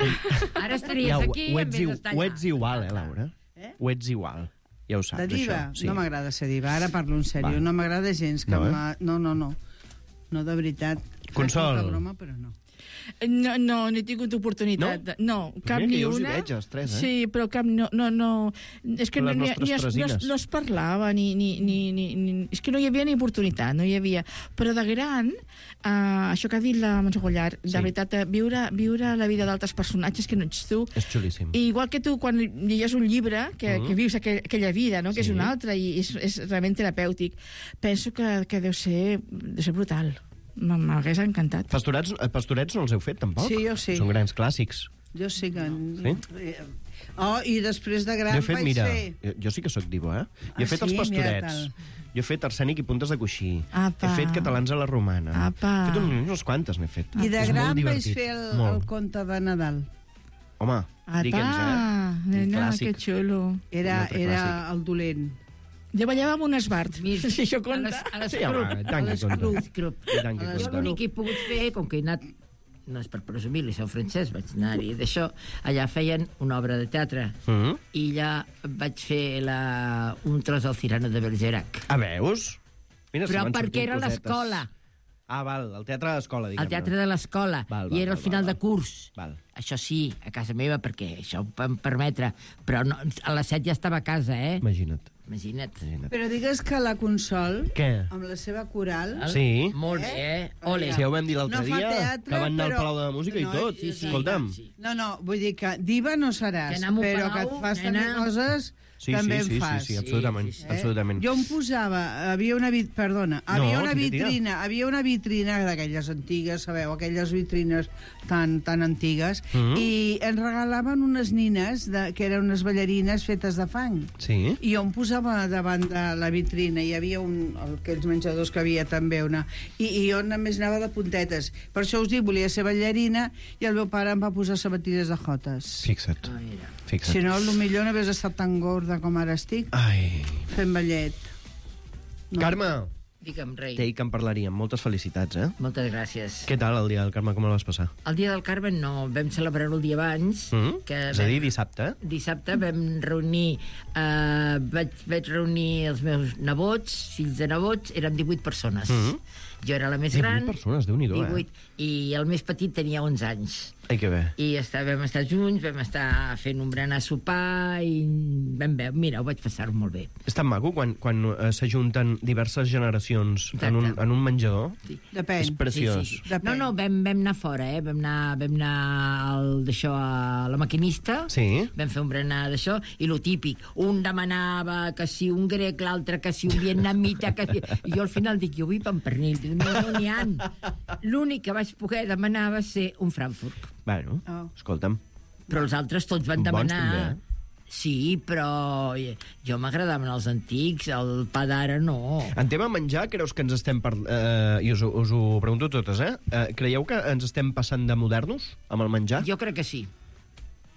Ara estaries Ja, ho, aquí ho, en ets, vez iu- d'estar ho allà. ets igual, eh, Laura? Eh? Ho ets igual. Ja ho saps, De diva? això. Sí. No m'agrada ser diva, ara parlo en sèrio. Va. No m'agrada gens que No, eh? m'ha- no, no, no. No, de veritat. Consol. Faig molta broma, però no. No, no, no he tingut oportunitat. No? de- No, cap Mira que ni jo us hi una. veig, els tres, eh? Sí, però cap... No, no, no. És que no, Les ni, nostres ni, es, no, es, tresines. no es parlava, ni, ni, ni, ni, ni... És que no hi havia ni oportunitat, no hi havia. Però de gran, uh, això que ha dit la Montse Gollar, de Sí. veritat, eh, viure, viure la vida d'altres personatges que no ets tu, És xulíssim. i igual que tu, quan llegeix un llibre, que, Mhm. que vius aquell, aquella vida, no? que Sí. és una altra, i és, és realment terapèutic, penso que, que deu ser, deu ser brutal. M- M'hagués encantat. Pastorets, eh, pastorets no els heu fet, tampoc? Sí, jo sí. Són grans clàssics. Jo sí que... Sí? Oh, i després de gran Jo he fet, vaig mira, fer... jo, jo sí que sóc divo, eh? Jo he Ah, fet els sí? pastorets. Mira, Jo he fet arsènic i puntes de coixí. Apa. He fet catalans a la romana. Apa. He fet un, unes quantes, n'he fet. I de És molt gran vaig divertit. fer el, Molt. el conte de Nadal. Home, digue'ns, Ah, eh? Un nena, clàssic. que xulo. Era, Un altre era clàssic. el dolent. Jo ballava amb un esbart, si això compta. A les Sí, home, tant que compta. I tant que Jo compta. l'únic que he pogut fer, com que he anat, no és per presumir, l'Liceu Francès, vaig anar-hi d'això, allà feien una obra de teatre, Mhm. i allà vaig fer la, un tros del Cirano de Bergerac. Ah, veus? Mira, se Però m'han perquè sortit era a cosetes. l'escola, Ah, val, el teatre de l'escola, diguem-ne. al teatre de l'escola, Val, i val, era al val, final val, de curs. Val. Això sí, a casa meva, perquè això ho vam permetre, però no, a les set ja estava a casa, eh? Imagina't. Imagina't. Imagina't. Però digues que la Consol, Què? amb la seva coral... Sí. Molt bé, eh? Ole. Si ja ho vam dir l'altre No fa dia, teatre, que van anar però- al Palau de la Música No, i tot. sí, sí. Escolta'm. Sí. No, no, vull dir que diva no seràs, Que anar a un però que palau, et fas nena. també coses, Sí, també sí, sí, en fas. sí, sí, absolutament, Sí, sí, sí. absolutament. Jo em posava, havia una vit, perdona, havia No, una tira, tira. vitrina, havia una vitrina d'aquelles antigues, sabeu, aquelles vitrines tan tan antigues, Mhm. i ens regalaven unes nines de, que eren unes ballarines fetes de fang. Sí? I jo em posava davant de la vitrina, hi havia un, aquells menjadors que havia també una, i, i jo només anava de puntetes. Per això us dic, volia ser ballarina, i el meu pare em va posar sabatilles de jotes. Fixa't, Ah, mira. fixa't. Si no, potser no hagués estat tan gorda com ara estic, Ai. fent ballet. No. Carme, Digue'm, rei. t'he dit que en parlaríem. Moltes felicitats, eh? Moltes gràcies. Què tal el dia del Carme, com el vas passar? El dia del Carmen no, vam celebrar-ho el dia abans, Mm? que És a vam- dir, dissabte, eh? dissabte vam reunir, eh, vaig, vaig reunir els meus nebots, fills de nebots, érem divuit persones. Mhm. Jo era la més divuit gran. persones, Déu-n'hi-do, eh? divuit, i el més petit tenia onze anys. Ai, que bé. I està, vam estar junts, vam estar fent un berenar sopar i vam veure, mira, ho vaig passar molt bé. És tan maco quan, quan eh, s'ajunten diverses generacions en un, Exacte. en un menjador. Depèn. És preciós. Sí, sí. Depèn. No, no, vam, vam anar fora, eh? Vam anar, vam anar al, d'això a la maquinista, Sí. vam fer un berenar d'això, i lo típic, un demanava que si un grec, l'altre que si un vietnamita, que si... I jo al final dic, jo vull pa amb pernil, no, no n'hi ha. L'únic que vaig poder demanar va ser un Frankfurt. Bueno, Oh. escolta'm. Però els altres tots van Bons, demanar... també, eh? Sí, però jo m'agradaven els antics, el pa d'ara no. En tema menjar, creus que ens estem... Per, eh, I us, ho- us ho pregunto totes, eh? eh? Creieu que ens estem passant de modernos amb el menjar? Jo crec que sí.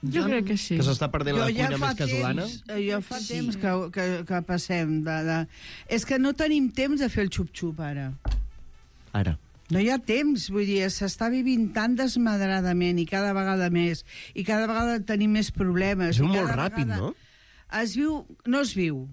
Jo crec que sí. Que s'està perdent la cuina més casolana? Temps, eh, jo fa Sí. temps que, que, que passem de, de... És que no tenim temps de fer el xup-xup, ara. Ara. No hi ha temps, vull dir, s'està vivint tan desmadradament i cada vegada més, i cada vegada tenim més problemes. Es viu i molt cada ràpid, vegada no? Es viu... No es viu.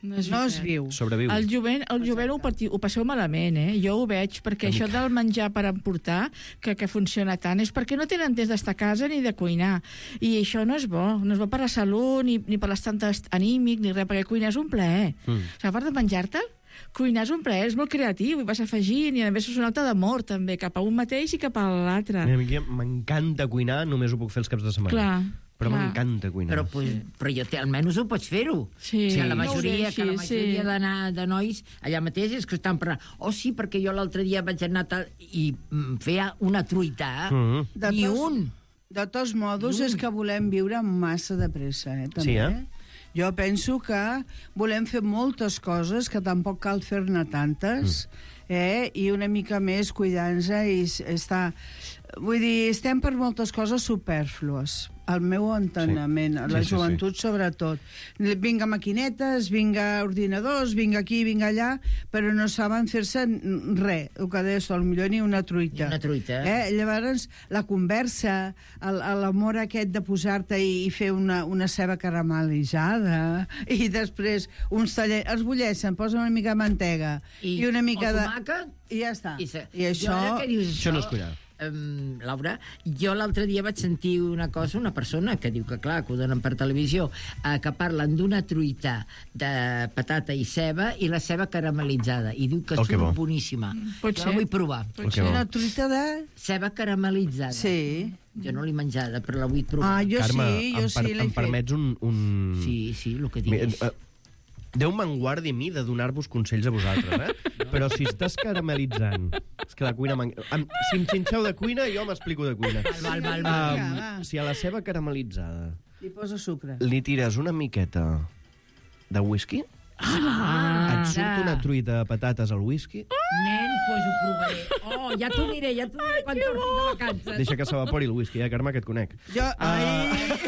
No es, no es viu. Sobreviu. El jovent, el jovent ho, parti, ho passeu malament, eh? Jo ho veig, perquè això del menjar per emportar, que, que funciona tant, és perquè no tenen temps d'estar a casa ni de cuinar. I això no és bo. No és bo per la salut, ni, ni per l'estat anímic, ni res, perquè cuinar és un plaer. Mm. O sigui, a part de menjar-te'l, cuinar és un plaer, és molt creatiu, i vas afegint, i a més és un acte d'amor, també, cap a un mateix i cap a l'altre. A mi m'encanta cuinar, només ho puc fer els caps de setmana. Clar. Però m'encanta cuinar. Però, pues, però jo te, almenys ho pots fer-ho. Sí. Que la majoria, Sí, que la majoria sí. de, de nois allà mateix és que estan parlant. Oh, sí, perquè jo l'altre dia vaig anar tal, i mm, feia una truita. Mm. De Ni tos, un. De tots modos, és que volem viure massa de pressa, eh, també. Sí, eh? Jo penso que volem fer moltes coses, que tampoc cal fer-ne tantes, mm. eh? I una mica més cuidar-nos i estar... Vull dir, estem per moltes coses superflues, al meu enteniment, sí. a la Sí, sí, joventut sí. sobretot. Vinga maquinetes, vinga ordinadors, vinga aquí, vinga allà, però no saben fer-se res, el que deies, potser ni una truita. Ni una truita. Eh? Llavors, la conversa, l'amor aquest de posar-te i, i fer una, una ceba caramelitzada, i després uns tallers, els bulleixen, posen una mica de mantega i, I una mica el de... tomàquet. I ja està. I, se... I això... Jo, ara que dius Això no és cuinar. Um, Laura, jo l'altre dia vaig sentir una cosa, una persona que diu que clar, que ho donen per televisió, eh, que parlen d'una truita de patata i ceba i la ceba caramelitzada, i diu que Oh, que surt bo. boníssima. Pot Jo ser. la vull provar. Pot ser una truita de... Ceba caramelitzada. Sí. Jo no l'he menjada, però la vull provar. Ah, jo Carme, sí, jo em, per, sí l'he em permets un... un... Sí, sí, el que Mi- diguis. eh, Déu me'n guardi a mi de donar-vos consells a vosaltres, eh? No. Però si estàs caramelitzant... És que la cuina... Em, si em xinxeu de cuina, jo m'explico de cuina. Val, val, val. Um, si a la ceba caramelitzada Li posa sucre. li tires una miqueta de whisky, Ah, et surt una truita de patates al whisky, nen, pues ho provaré. Oh, ja t'ho diré, ja t'ho diré quan tornis de vacances. deixa que s'evapori el whisky, eh, Carme, que et conec. Jo... Ai...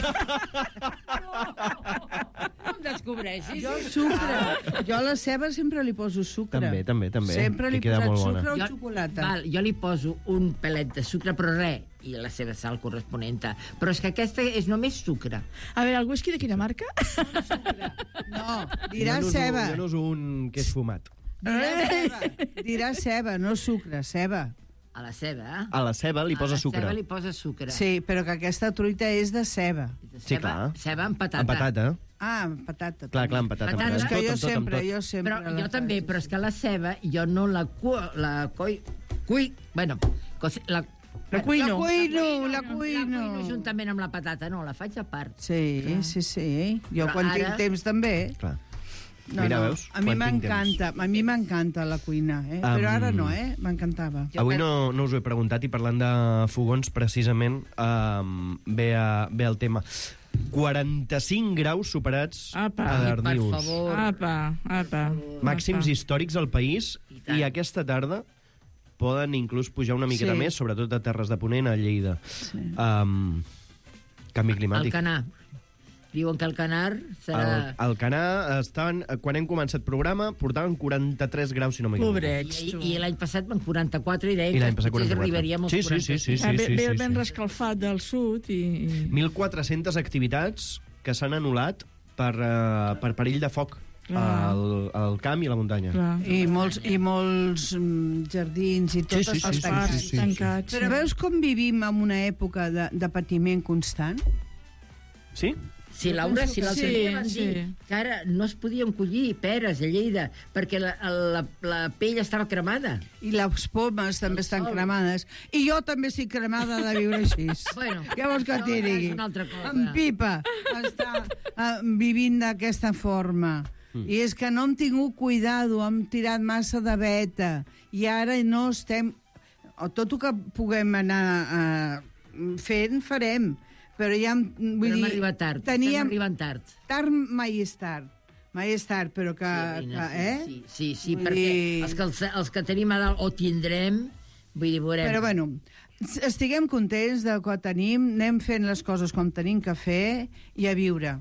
No em descobreixis. Jo sucre. Jo a la ceba sempre li poso sucre. També, també, també. Sempre li he Que queda posat molt bona. sucre o Jo- xocolata. Val, jo li poso un pelet de sucre, però res, i la seva sal corresponent. Però és que aquesta és només sucre. A veure, el whisky de quina marca? No, dirà jo no uso, ceba. Jo no uso un que és fumat. Dirà ceba. Dirà ceba, no sucre, ceba. A la ceba, eh? A la ceba li posa A la sucre. ceba li posa sucre. Sí, però que aquesta truita és de ceba. Sí, clar. Ceba amb patata. Amb patata. Ah, amb patata. Clar, clar, amb patata. Patata. amb És que tot, jo amb tot, amb sempre, tot. jo sempre... Però la jo també, faig. però és que la ceba jo no la cu... la coi... Cui... Bueno, cos- la... La cuino. La cuino, la La cuino. cuino juntament amb la patata, no, la faig a part. Sí, sí, sí. Jo Però quan ara- tinc temps també. Clar. No, Mira, no. veus? A mi Quan tinc m'encanta, a mi m'encanta la cuina, eh? Um, Però ara no, eh? M'encantava. Avui no, no us ho he preguntat i parlant de fogons, precisament, um, ve, a, ve el tema. quaranta-cinc graus superats Apa. a Per Darnius. favor. Apa, apa. Màxims apa. històrics al país tant. i aquesta tarda poden inclús pujar una miqueta Sí. més, sobretot a Terres de Ponent, a Lleida. Um, canvi climàtic. Alcanar. Diuen que el canar serà... El, el Canà estaven, quan hem començat programa, portaven quaranta-tres graus, si no m'equivoco. Pobrets, I, tu. I l'any passat van quaranta-quatre i deien I l'any que passat potser quaranta-quatre. arribaríem als Sí, sí, sí, sí, quaranta-cinc. Ah, ve, sí, ve el sí, vent sí. rescalfat del sud i... i... mil quatre-centes activitats que s'han anul·lat per, uh, per perill de foc al, al camp i a la muntanya. Clar. I molts, i molts mm, jardins i tot Sí, sí, sí, està sí, tancat. sí, sí, sí. tancats. Però veus com vivim en una època de, de patiment constant? Sí? Sí, Laura, si l'altre Sí, dia van sí. dir que ara no es podien collir peres a Lleida perquè la, la, la pell estava cremada. I les pomes també estan cremades. I jo també estic cremada de viure així. Bueno, Què vols que això t'hi ja és digui? una altra cosa. En pipa està uh, vivint d'aquesta forma. Mm. I és que no hem tingut cuidado, hem tirat massa de veta. I ara no estem... O tot el que puguem anar uh, fent, farem. Però ja... Vull Però hem dir, arribat tard. Teníem... Estem arribant tard. Tard mai és tard. Mai és tard, però que... Sí, que Reina, eh? sí, sí, sí, Vull perquè dir- els que, els, els que tenim a dalt o tindrem, vull dir, veurem. Però bueno, estiguem contents de que tenim, anem fent les coses com tenim que fer i a viure.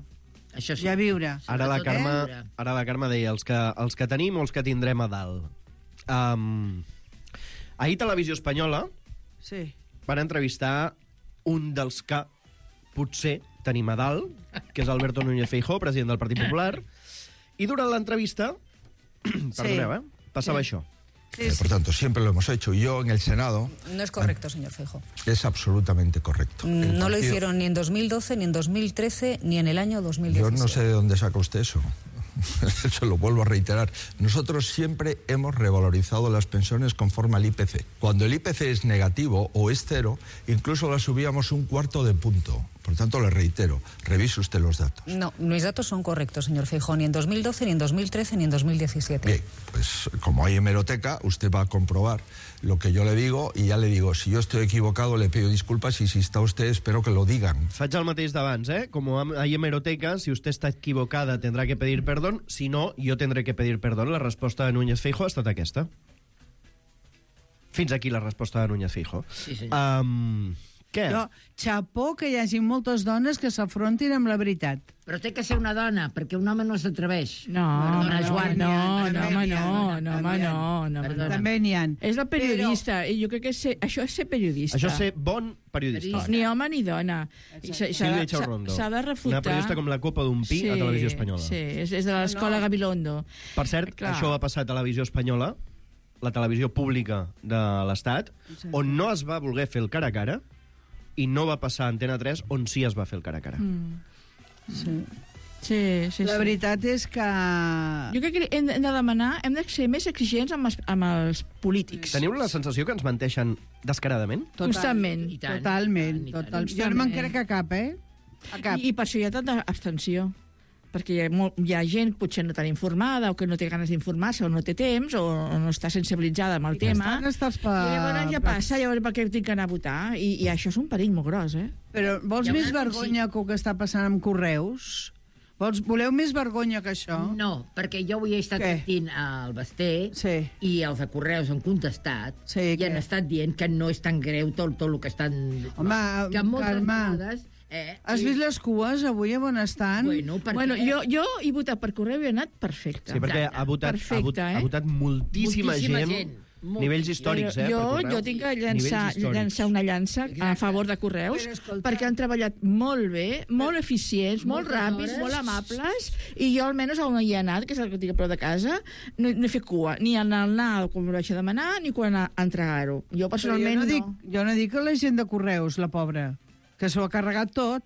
Això sí. I a viure. Ara la, Sobretot, Carme, eh? ara la Carme deia els que, els que tenim o els que tindrem a dalt. Um, ahir Televisió Espanyola Sí. van entrevistar un dels que potser tenim a dalt, que és Alberto Núñez Feijóo, president del Partit Popular, I durant l'entrevista, perdoneu, eh? Passava això. Eh, por tanto, siempre lo hemos hecho. Yo en el Senado... No es correcto, señor Feijóo. Es absolutamente correcto. No El lo partido- hicieron ni en dos mil doce, ni en dos mil trece, ni en el año dos mil Yo diecisiete. no sé de dónde saca usted eso. Se lo vuelvo a reiterar. Nosotros siempre hemos revalorizado las pensiones conforme al I P C. Cuando el I P C es negativo o es cero, incluso las subíamos un cuarto de punto. Por tanto, le reitero, revise usted los datos. No, mis datos son correctos, señor Feijóo, ni en dos mil doce, ni en dos mil trece, ni en dos mil diecisiete. Bien, pues como hay hemeroteca, usted va a comprobar lo que yo le digo y ya le digo, si yo estoy equivocado le pido disculpas y si está usted espero que lo digan. Faig el mateix d'abans, eh? Como hay hemeroteca, si usted está equivocada tendrá que pedir perdón, si no, yo tendré que pedir perdón. La resposta de Núñez Feijóo ha estat aquesta. Fins aquí la resposta de Núñez Feijóo. Sí, senyor. Um, què? Jo, xapó que hi hagi moltes dones que s'afrontin amb la veritat. Però té que ser una dona, perquè un home no s'atreveix. No, Perdona, no, Joan. no, També no, home, n'hi ha, no, no, home, també no, no, Perdona. no. També n'hi ha. És la periodista, i jo crec que és ser, això és ser periodista. Això és ser bon periodista. Ni home ni dona. I s'ha- i s'ha Sílvia de- Echaurondo. S'ha de refutar... Una periodista com la copa d'un pi a Televisió Espanyola. Sí, és, és de l'escola No. Gabilondo. Per cert, Clar. això va passar a Televisió Espanyola, la televisió pública de l'Estat, on no es va voler fer el cara a cara, i no va passar a Antena tres, on sí es va fer el cara a cara. Mm. Sí. Sí, sí, La sí. veritat és que... Jo crec que hem de hem de demanar, hem de ser més exigents amb els, amb els polítics. Teniu la sensació que ens menteixen descaradament? Total, Constantment. I tant, Totalment. i tant, i tant. Total. Jo no me'n crec a cap, eh? A cap. I, I per això hi ha tanta abstenció. Perquè hi ha, molt, hi ha gent potser no tan informada o que no té ganes d'informar-se o no té temps o, o no està sensibilitzada amb el tema. Estan estàs per... I llavors ja passa, llavors per què tinc que anar a votar? I, i això és un perill molt gros, eh? Però vols Hi ha més una- vergonya que el que està passant amb Correus? Vols, voleu més vergonya que això? No, perquè jo avui he estat Què? sentint al Basté Sí. i els de Correus han contestat Sí, i què? han estat dient que no és tan greu tot, tot el que estan... Home, que moltes Carme, vegades... Eh, Has vist les cues avui a on estan? Bueno, perquè... Bueno, jo, jo he votat per correu i he anat perfecte. Sí, perquè ha votat, Perfecte, ha votat, eh? ha votat moltíssima, Moltíssima gent, gent. Molt. nivells històrics, eh, jo, per Correus. jo tinc que llançar, Nivells històrics. llançar una llança a favor de Correus, Però escolta- perquè han treballat molt bé, molt eficients, molt Moltes ràpids, hores. molt amables, i jo almenys on hi he anat, que és el que tinc a prop de casa, no, no he fet cua, ni en el anar quan ho vaig a demanar, ni quan a entregar-ho. Jo Però personalment jo no, no. dic, jo no dic que la gent de Correus, la pobra, que s'ho ha carregat tot,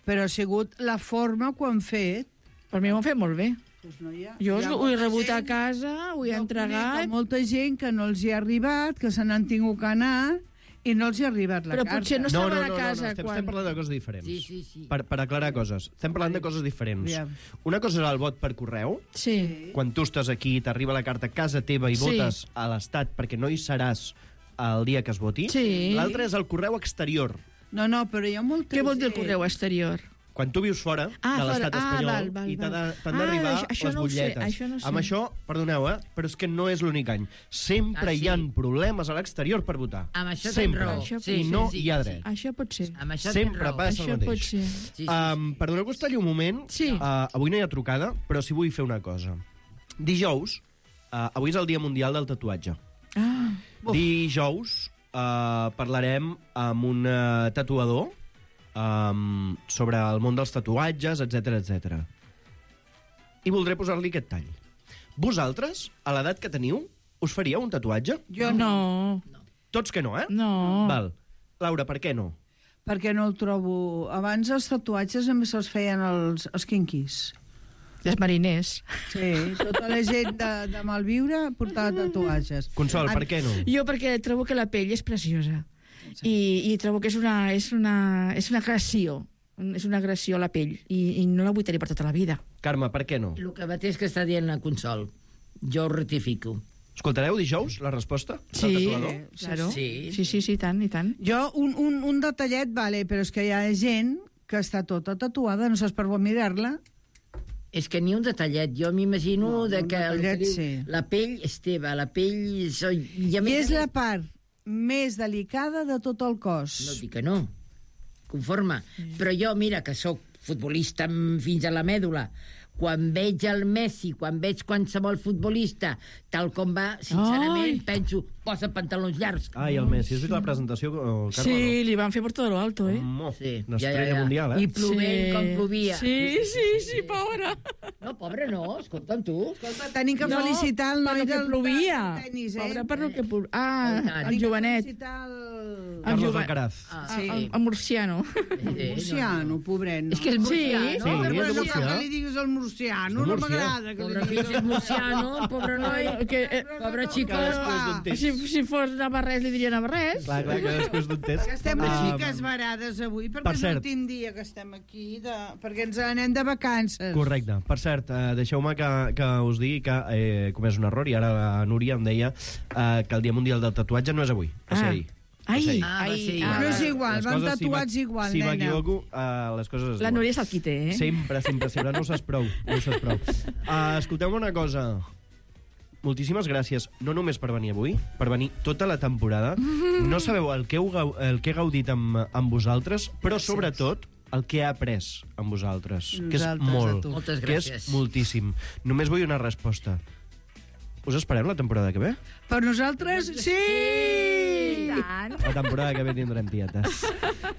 però ha sigut la forma que ho han fet. Per mi ho han fet molt bé. Pues no hi ha, Jo hi ha ho he molta rebut a gent- casa, ho he jo conec entregat, a molta gent que no els hi ha arribat, que se n'han tingut que anar i no els hi ha arribat la però carta. potser no No, no, estaven no, a no, casa no, estem, quan... estem parlant de coses diferents. Sí, sí, sí. Per, per aclarar coses. Estem parlant de coses diferents. Aviam. Una cosa és el vot per correu, Sí. quan tu estàs aquí, t'arriba la carta a casa teva i Sí. votes a l'Estat perquè no hi seràs el dia que es voti. Sí. L'altre és el correu exterior. No, no, però hi ha molta Què vol dir el gent- correu exterior? Quan tu vius fora Ah, de fora. l'estat Ah, espanyol val, val, i t'ha de- val. t'han Ah, d'arribar això- això les no ho sé, butlletes. això no ho sé. Amb això, perdoneu, eh, però és que no és l'únic any. Sempre Ah, sí? hi ha problemes a l'exterior per votar. Amb això tens Sempre. raó. Això I pot no ser, hi ha sí, dret. Això pot ser. Amb això Sempre tens raó. passa el Això mateix. pot ser. Sí, sí, Um, perdoneu que us talli un moment. Sí. Uh, avui no hi ha trucada, però sí vull fer una cosa. Dijous, uh, avui és el Dia Mundial del Tatuatge. Ah, Dijous uh, parlarem amb un uh, tatuador um, sobre el món dels tatuatges, etc etc. I voldré posar-li aquest tall. Vosaltres, a l'edat que teniu, us faríeu un tatuatge? Jo no. Tots que no, eh? No. Val. Laura, per què no? Perquè no el trobo... Abans els tatuatges només se'ls feien els, els quinquis. Els mariners. Sí, tota la gent de, de malviure portava tatuatges. Consol, per què no? Jo perquè trobo que la pell és preciosa. I, i trobo que és una, és una, és una agressió. És una agressió a la pell. I, i no la vull tenir per tota la vida. Carme, per què no? El que mateix que està dient la Consol. Jo ho rectifico. Escoltareu dijous la resposta del Sí, tatuador? claro. Sí. Sí, sí, sí, tant, i tant. Jo, un, un, un detallet, vale, però és que hi ha gent que està tota tatuada, no saps per on mirar-la. És que ni un detallet. Jo m'imagino No, de un que el detallet, que diu, sí. la pell és teva, la pell... Soy... I, a I més és a la més- part més delicada de tot el cos. No dic que no. Conforme. Però jo, mira, que sóc futbolista amb- fins a la mèdula, quan veig el Messi, quan veig qualsevol futbolista, tal com va, sincerament, Ai. penso, posa pantalons llargs. Ai, el Messi. Has vist la presentació, Carme? Sí, li van fer por todo lo alto, eh? No? Sí, Una estrella mundial, eh? I plovent Sí. com plovia. Sí, sí, sí, pobra. No, pobre no, escolta'm tu. Escolta, tenim que No, felicitar el noi per lo que del plovia. del tenis, eh? Pobre per lo que plovia. Ah, Tenim el que jovenet. felicitar el... Carlos jove- Alcaraz. Ah, Sí. el, el murciano. El murciano, pobret, no? És que el murciano... Sí, No, és però de no Murcià. cal que li diguis el murciano, És de no Murcià. m'agrada que Pobre li fill diguis és murciano, el pobre noi. Que, eh, Pobre xico. Cadascú és d'un temps. si, si fos navarrès, li diria navarrès. Clar, clar, cadascú és d'un temps. Que estem Um, així que esbarades avui, perquè per és cert. l'últim dia que estem aquí, de... perquè ens anem de vacances. Correcte. Per cert, eh, deixeu-me que, que us digui que he comès un error i ara la Núria em deia eh, que el Dia Mundial del Tatuatge no és avui, va ser Ah. ahir. Va Ai, ser ahir. Ah, va ai, ser ahir. ah, Però és igual, Les van coses, si tatuats m'equi- igual, Si nena. m'equivoco, uh, les coses es la diuen. Núria se'l quite, eh? Sempre, sempre, sempre. No ho saps prou. No ho saps prou. Uh, escolteu-me una cosa. Moltíssimes gràcies, no només per venir avui, per venir tota la temporada. No sabeu el que, heu, gau- el que he gaudit amb, amb vosaltres, però Gràcies. sobretot el que he après amb vosaltres, que és Nosaltres, a molt, tu. Moltes que és gràcies. moltíssim. Només vull una resposta. Us esperem la temporada que ve? Per nosaltres, sí! I tant. La temporada que ve tindrem tietes.